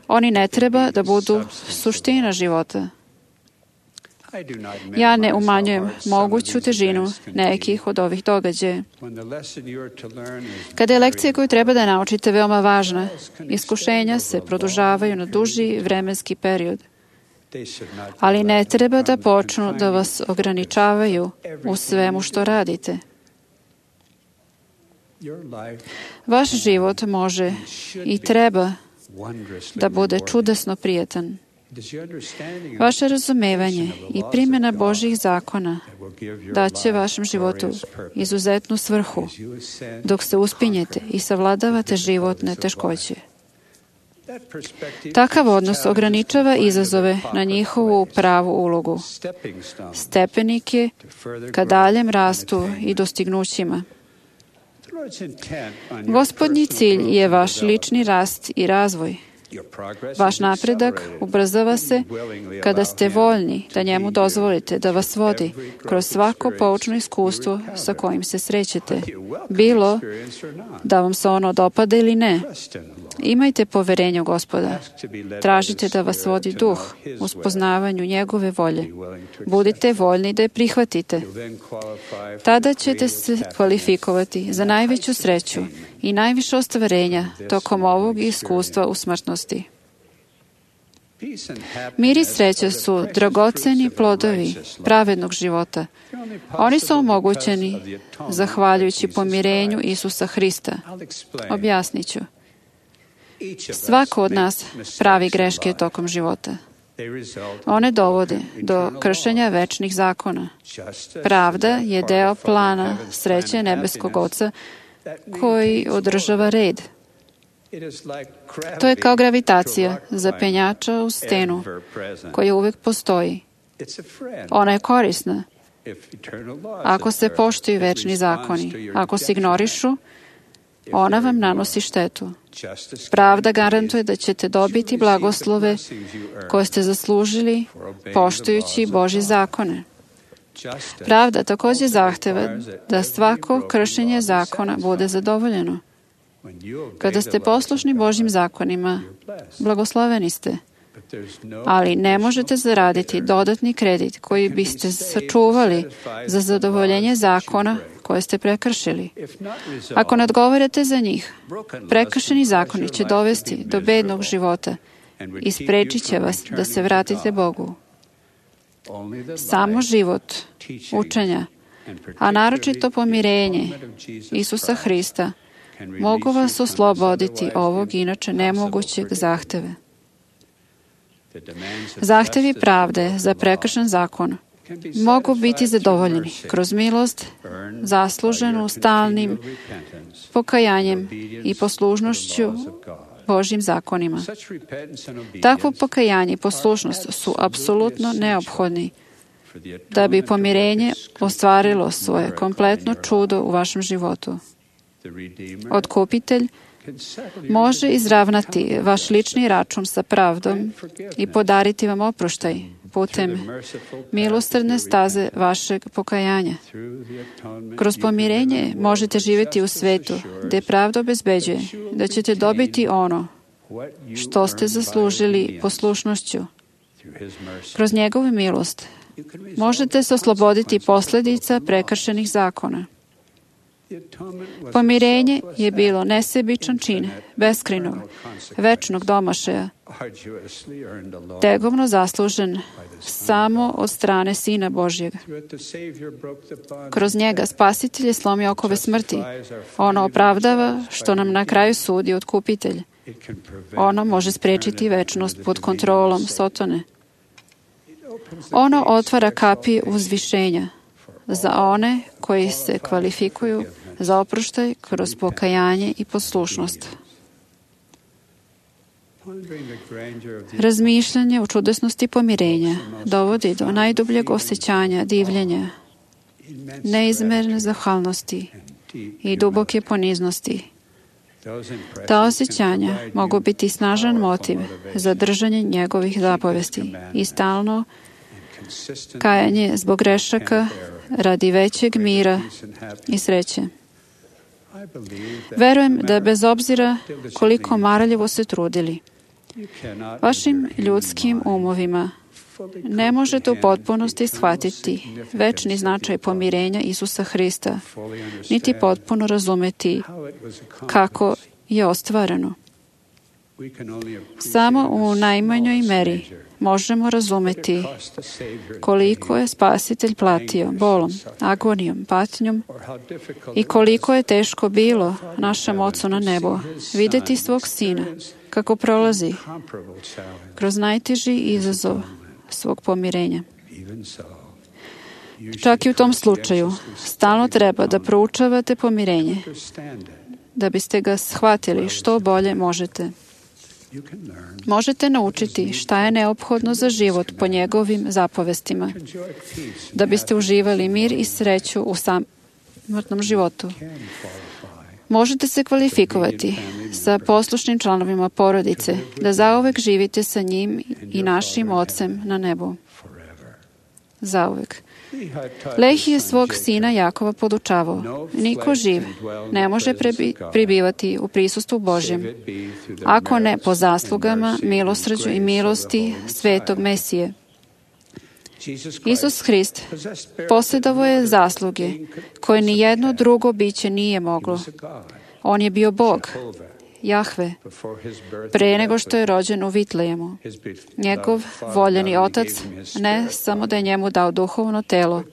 Oni ne treba da budu suština života. Ja ne umanjujem moguću težinu nekih od ovih događaja. Kada je lekcija koju treba da naučite veoma važna, iskušenja se produžavaju na duži vremenski period. Ali ne treba da počnu da vas ograničavaju u svemu što radite. Vaš život može i treba da bude čudesno prijetan. Vaše razumevanje i primjena Božjih zakona daće vašem životu izuzetnu svrhu dok se uspinjete i savladavate životne teškoće. Takav odnos ograničava izazove na njihovu pravu ulogu, stepenike ka daljem rastu i dostignućima. Gospodnji cilj je vaš lični rast i razvoj. Vaš napredak ubrzava se kada ste voljni da njemu dozvolite da vas vodi kroz svako poučno iskustvo sa kojim se srećete, bilo da vam se ono dopada ili ne. Imajte poverenje u Gospoda. Tražite da vas vodi duh u spoznavanju njegove volje. Budite voljni da je prihvatite. Tada ćete se kvalifikovati za najveću sreću i najviše ostvarenja tokom ovog iskustva u smrtnosti. Mir i sreća su dragoceni plodovi pravednog života. Oni su omogućeni zahvaljujući pomirenju Isusa Hrista. Objasnit ću. Svako od nas pravi greške tokom života. One dovode do kršenja večnih zakona. Pravda je deo plana sreće nebeskog Oca koji održava red. To je kao gravitacija zapenjača u stenu koja uvijek postoji. Ona je korisna ako se poštuju večni zakoni. Ako se ignorišu, ona vam nanosi štetu. Pravda garantuje da ćete dobiti blagoslove koje ste zaslužili poštujući Božje zakone. Pravda također zahteva da svako kršenje zakona bude zadovoljeno. Kada ste poslušni Božjim zakonima, blagosloveni ste. Ali ne možete zaraditi dodatni kredit koji biste sačuvali za zadovoljenje zakona koje ste prekršili. Ako ne odgovarate za njih, prekršeni zakoni će dovesti do bednog života i spriječit će vas da se vratite Bogu. Samo život, učenja, a naročito pomirenje Isusa Hrista mogu vas osloboditi ovog inače nemogućeg zahteve. Zahtevi pravde za prekršen zakon mogu biti zadovoljeni kroz milost, zasluženu stalnim pokajanjem i poslušnošću Božjim zakonima. Takvo pokajanje i poslušnost su apsolutno neophodni da bi pomirenje ostvarilo svoje kompletno čudo u vašem životu. Otkupitelj može izravnati vaš lični račun sa pravdom i podariti vam oproštaj putem milosrdne staze vašeg pokajanja. Kroz pomirenje možete živjeti u svetu gdje pravda obezbeđuje da ćete dobiti ono što ste zaslužili poslušnošću. Kroz njegovu milost možete se osloboditi posljedica prekršenih zakona. Pomirenje je bilo nesebičan čin, beskrajnog, večnog domašaja, tegovno zaslužen samo od strane Sina Božjeg. Kroz njega Spasitelj je slomio okove smrti. Ono opravdava što nam na kraju sudi Otkupitelj. Ono može spriječiti večnost pod kontrolom Sotone. Ono otvara kapije uzvišenja za one koji se kvalifikuju za oproštaj kroz pokajanje i poslušnost. Razmišljanje o čudesnosti pomirenja dovodi do najdubljeg osjećanja divljenja, neizmerne zahvalnosti i duboke poniznosti. Ta osjećanja mogu biti snažan motiv za držanje njegovih zapovesti i stalno kajanje zbog grešaka radi većeg mira i sreće. Verujem da bez obzira koliko marljivo se trudili, vašim ljudskim umovima ne možete u potpunosti shvatiti večni značaj pomirenja Isusa Hrista, niti potpuno razumeti kako je ostvareno. Samo u najmanjoj meri možemo razumeti koliko je Spasitelj platio bolom, agonijom, patnjom i koliko je teško bilo našem Ocu na nebu vidjeti svog Sina kako prolazi kroz najteži izazov svog pomirenja. Čak i u tom slučaju stalno treba da proučavate pomirenje, da biste ga shvatili što bolje možete. Možete naučiti šta je neophodno za život po njegovim zapovestima, da biste uživali mir i sreću u samotnom životu. Možete se kvalifikovati sa poslušnim članovima porodice, da zauvek živite sa njim i našim Ocem na nebu. Zauvek. Lehi je svog sina Jakova podučavao. Niko živ ne može pribivati u prisustvu Božjem, ako ne po zaslugama, milosrđu i milosti svetog Mesije. Isus Hrist posjedovao je zasluge koje ni jedno drugo biće nije moglo. On je bio Bog, Jahve, pre nego što je rođen u Vitlejemu. Njegov voljeni otac ne samo da je njemu dao duhovno telo,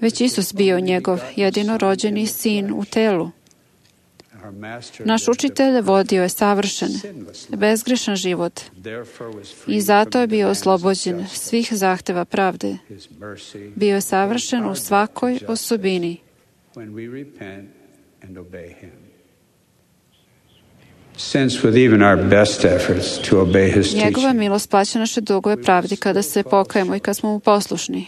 već Isus bio njegov jedinorođeni sin u telu. Naš učitelj vodio je savršen, bezgrešan život i zato je bio oslobođen svih zahteva pravde. Bio je savršen u svakoj osobini. Njegova milost plaća naše dugove pravdi kada se pokajemo i kad smo mu poslušni.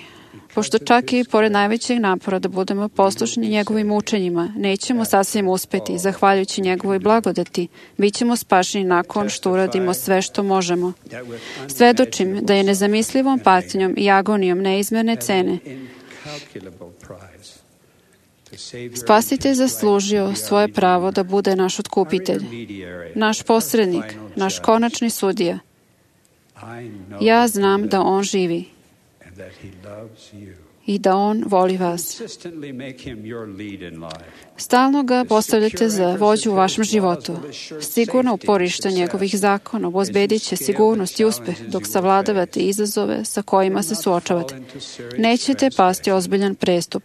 Pošto čak i pored najvećeg napora da budemo poslušni njegovim učenjima, nećemo sasvim uspeti, zahvaljujući njegovoj blagodati, bit ćemo spašeni nakon što uradimo sve što možemo. Svedočim da je nezamislivom patnjom i agonijom neizmjerne cene Spasitelj zaslužio svoje pravo da bude naš otkupitelj, naš posrednik, naš konačni sudija. Ja znam da on živi i da on voli vas. Stalno ga postavljate za vođu u vašem životu. Sigurno uporište njegovih zakona obezbedit će sigurnost i uspeh dok savladavate izazove sa kojima se suočavate. Nećete pasti ozbiljan prestup.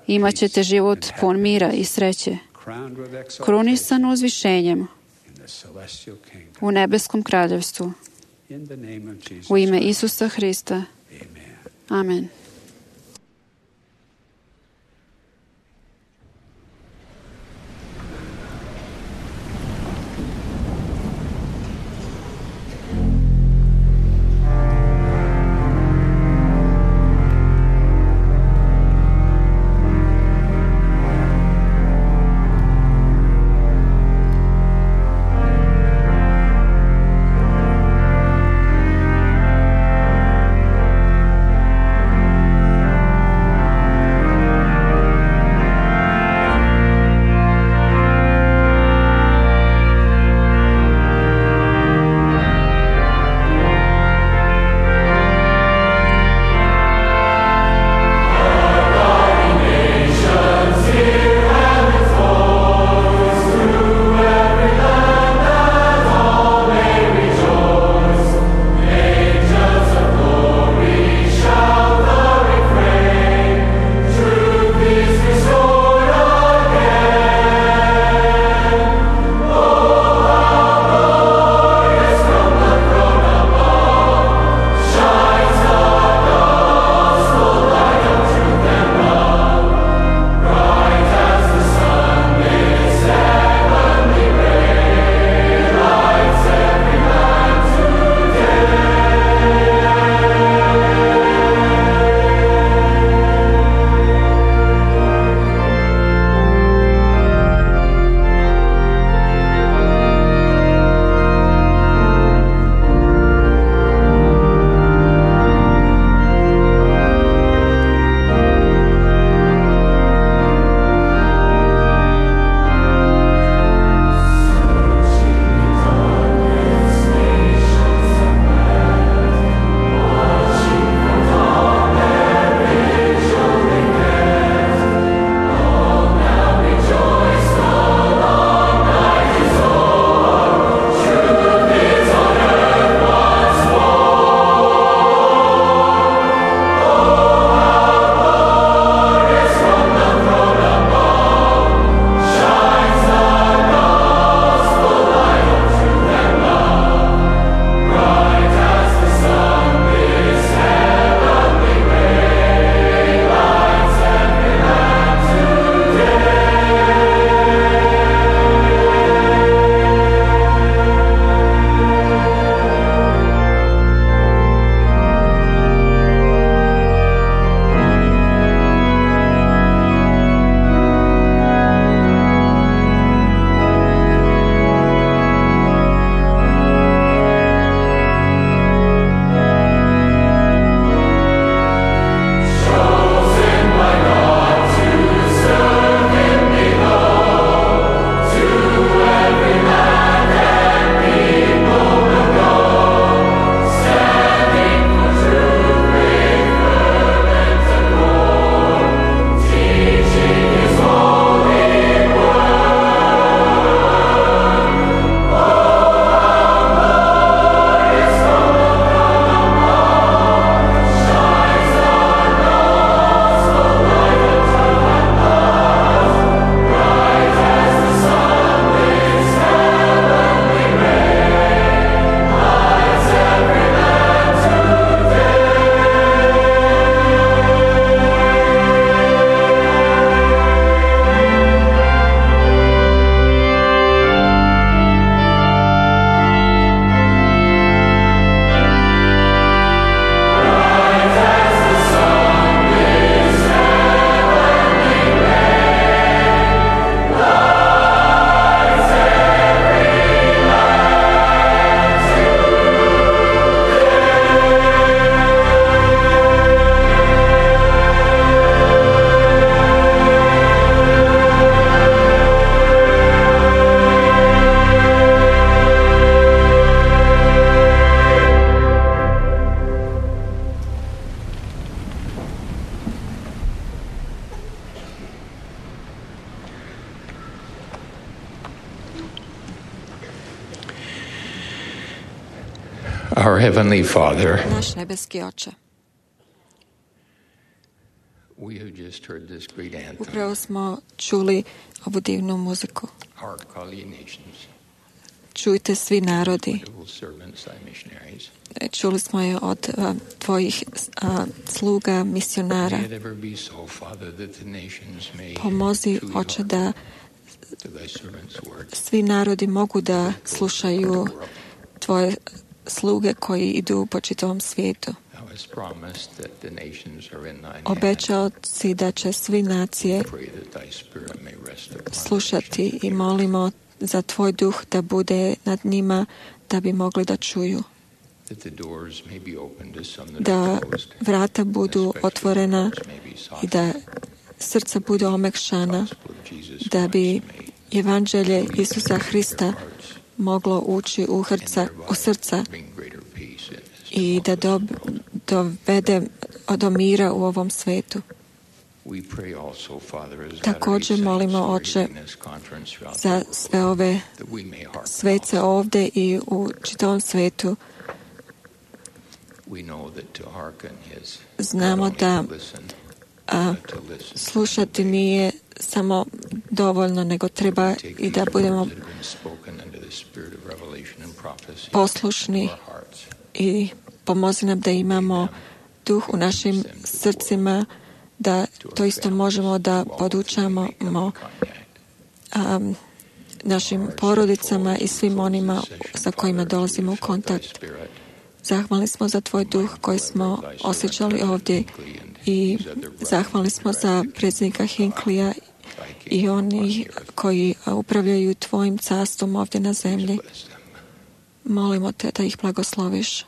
Imaćete život pun mira i sreće, krunisan uzvišenjem u nebeskom kraljevstvu. U ime Isusa Hrista. Amen. Our Heavenly Father, Naš nebeski Oče, we have just heard this great anthem, upravo smo čuli ovu divnu muziku. Hark all ye nations, Čujte svi narodi. wonderful servants, thy missionaries. Čuli smo je od tvojih sluga, misionara. May it ever be so, Father, that the nations may Pomozi, truly Oče, hearken da to thy servants' words. svi narodi mogu da slušaju tvoje sluge koji idu po čitavom svijetu. Thou hast promised that the nations are in thine hand. Obećao si da će svi nacije Pray that thy spirit may rest upon the slušati nations. i molimo za tvoj duh da bude nad njima, da bi mogli da čuju. That the doors may be opened to some that Da are closed, vrata budu especially otvorena hearts may be i softened. da srca budu omekšana, Gospel of Jesus da bi Christ may evanđelje Isusa Hrista moglo ući u srca bring greater peace in this i da dovede do mira u ovom svetu. We pray also, Father, as Također Valerie molimo, sang Oče, in this conference throughout za the world, sve ove that we may hearken svece also. ovdje i u čitavom svetu. We know that to hearken is Znamo not only da to listen, but to listen slušati nije samo dovoljno, nego treba take i da these budemo words that have been spoken under the spirit of revelation and prophecy poslušni into our hearts. i pomozi nam da imamo duh u našim srcima, da to isto možemo da podučamo našim porodicama i svim onima sa kojima dolazimo u kontakt. Zahvalni smo za tvoj duh koji smo osjećali ovdje i zahvalni smo za predsjednika Hinklija i oni koji upravljaju tvojim carstvom ovdje na zemlji. Molimo te da ih blagosloviš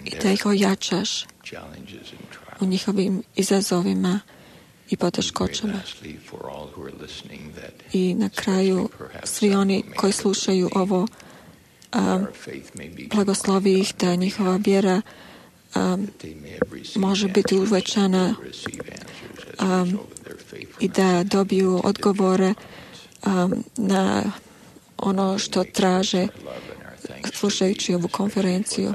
i da ih ojačaš u njihovim izazovima i poteškoćama. I na kraju svi oni koji slušaju ovo, blagoslovi ih da njihova vjera može biti uvećana i da dobiju odgovore na ono što traže slušajući ovu konferenciju.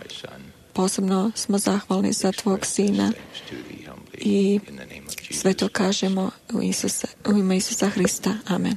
Posebno smo zahvalni za tvog sina i sve to kažemo u ime Isusa Hrista. Amen.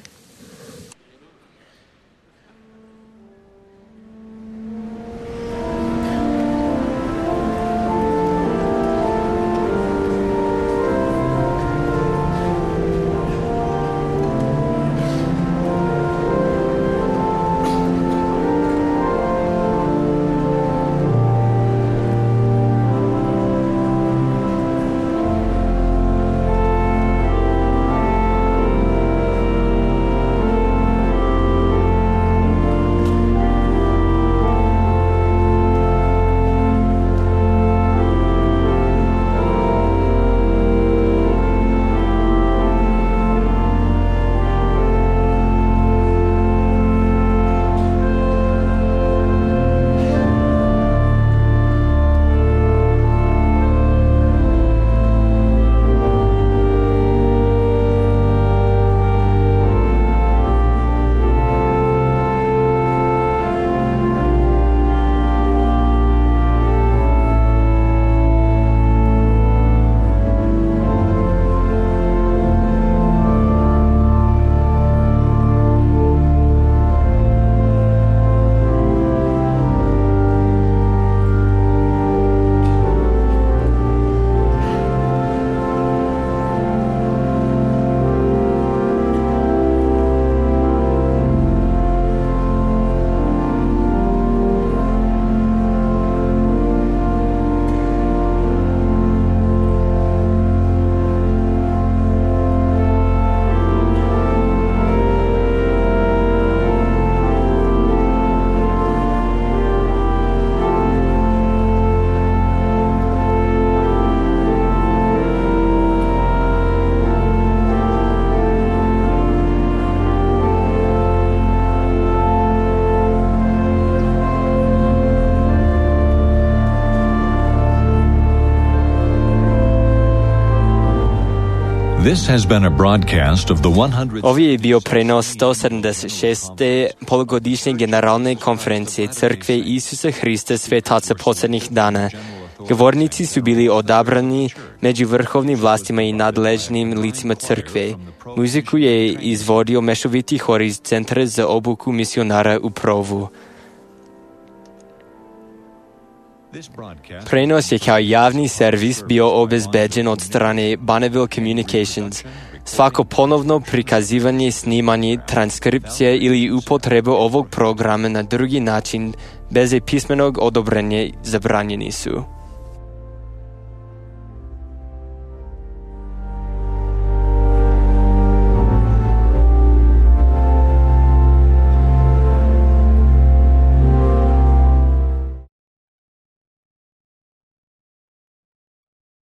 This has been a broadcast of the 100. Ovo je bio prenos 176. polugodišnje generalne konferencije Crkve Isusa Hrista Svetaca posljednjih dana. Govornici su bili odabrani među vrhovnim vlastima i nadležnim licima crkve. Muziku je izvodio mešoviti hor iz Centra za obuku misionara u Provu. Prenos je kao javni servis bio obezbeđen od strane Bonneville Communications. Svako ponovno prikazivanje, snimanje, transkripcija ili upotreba ovog programa na drugi način bez pismenog odobrenja zabranjeni su.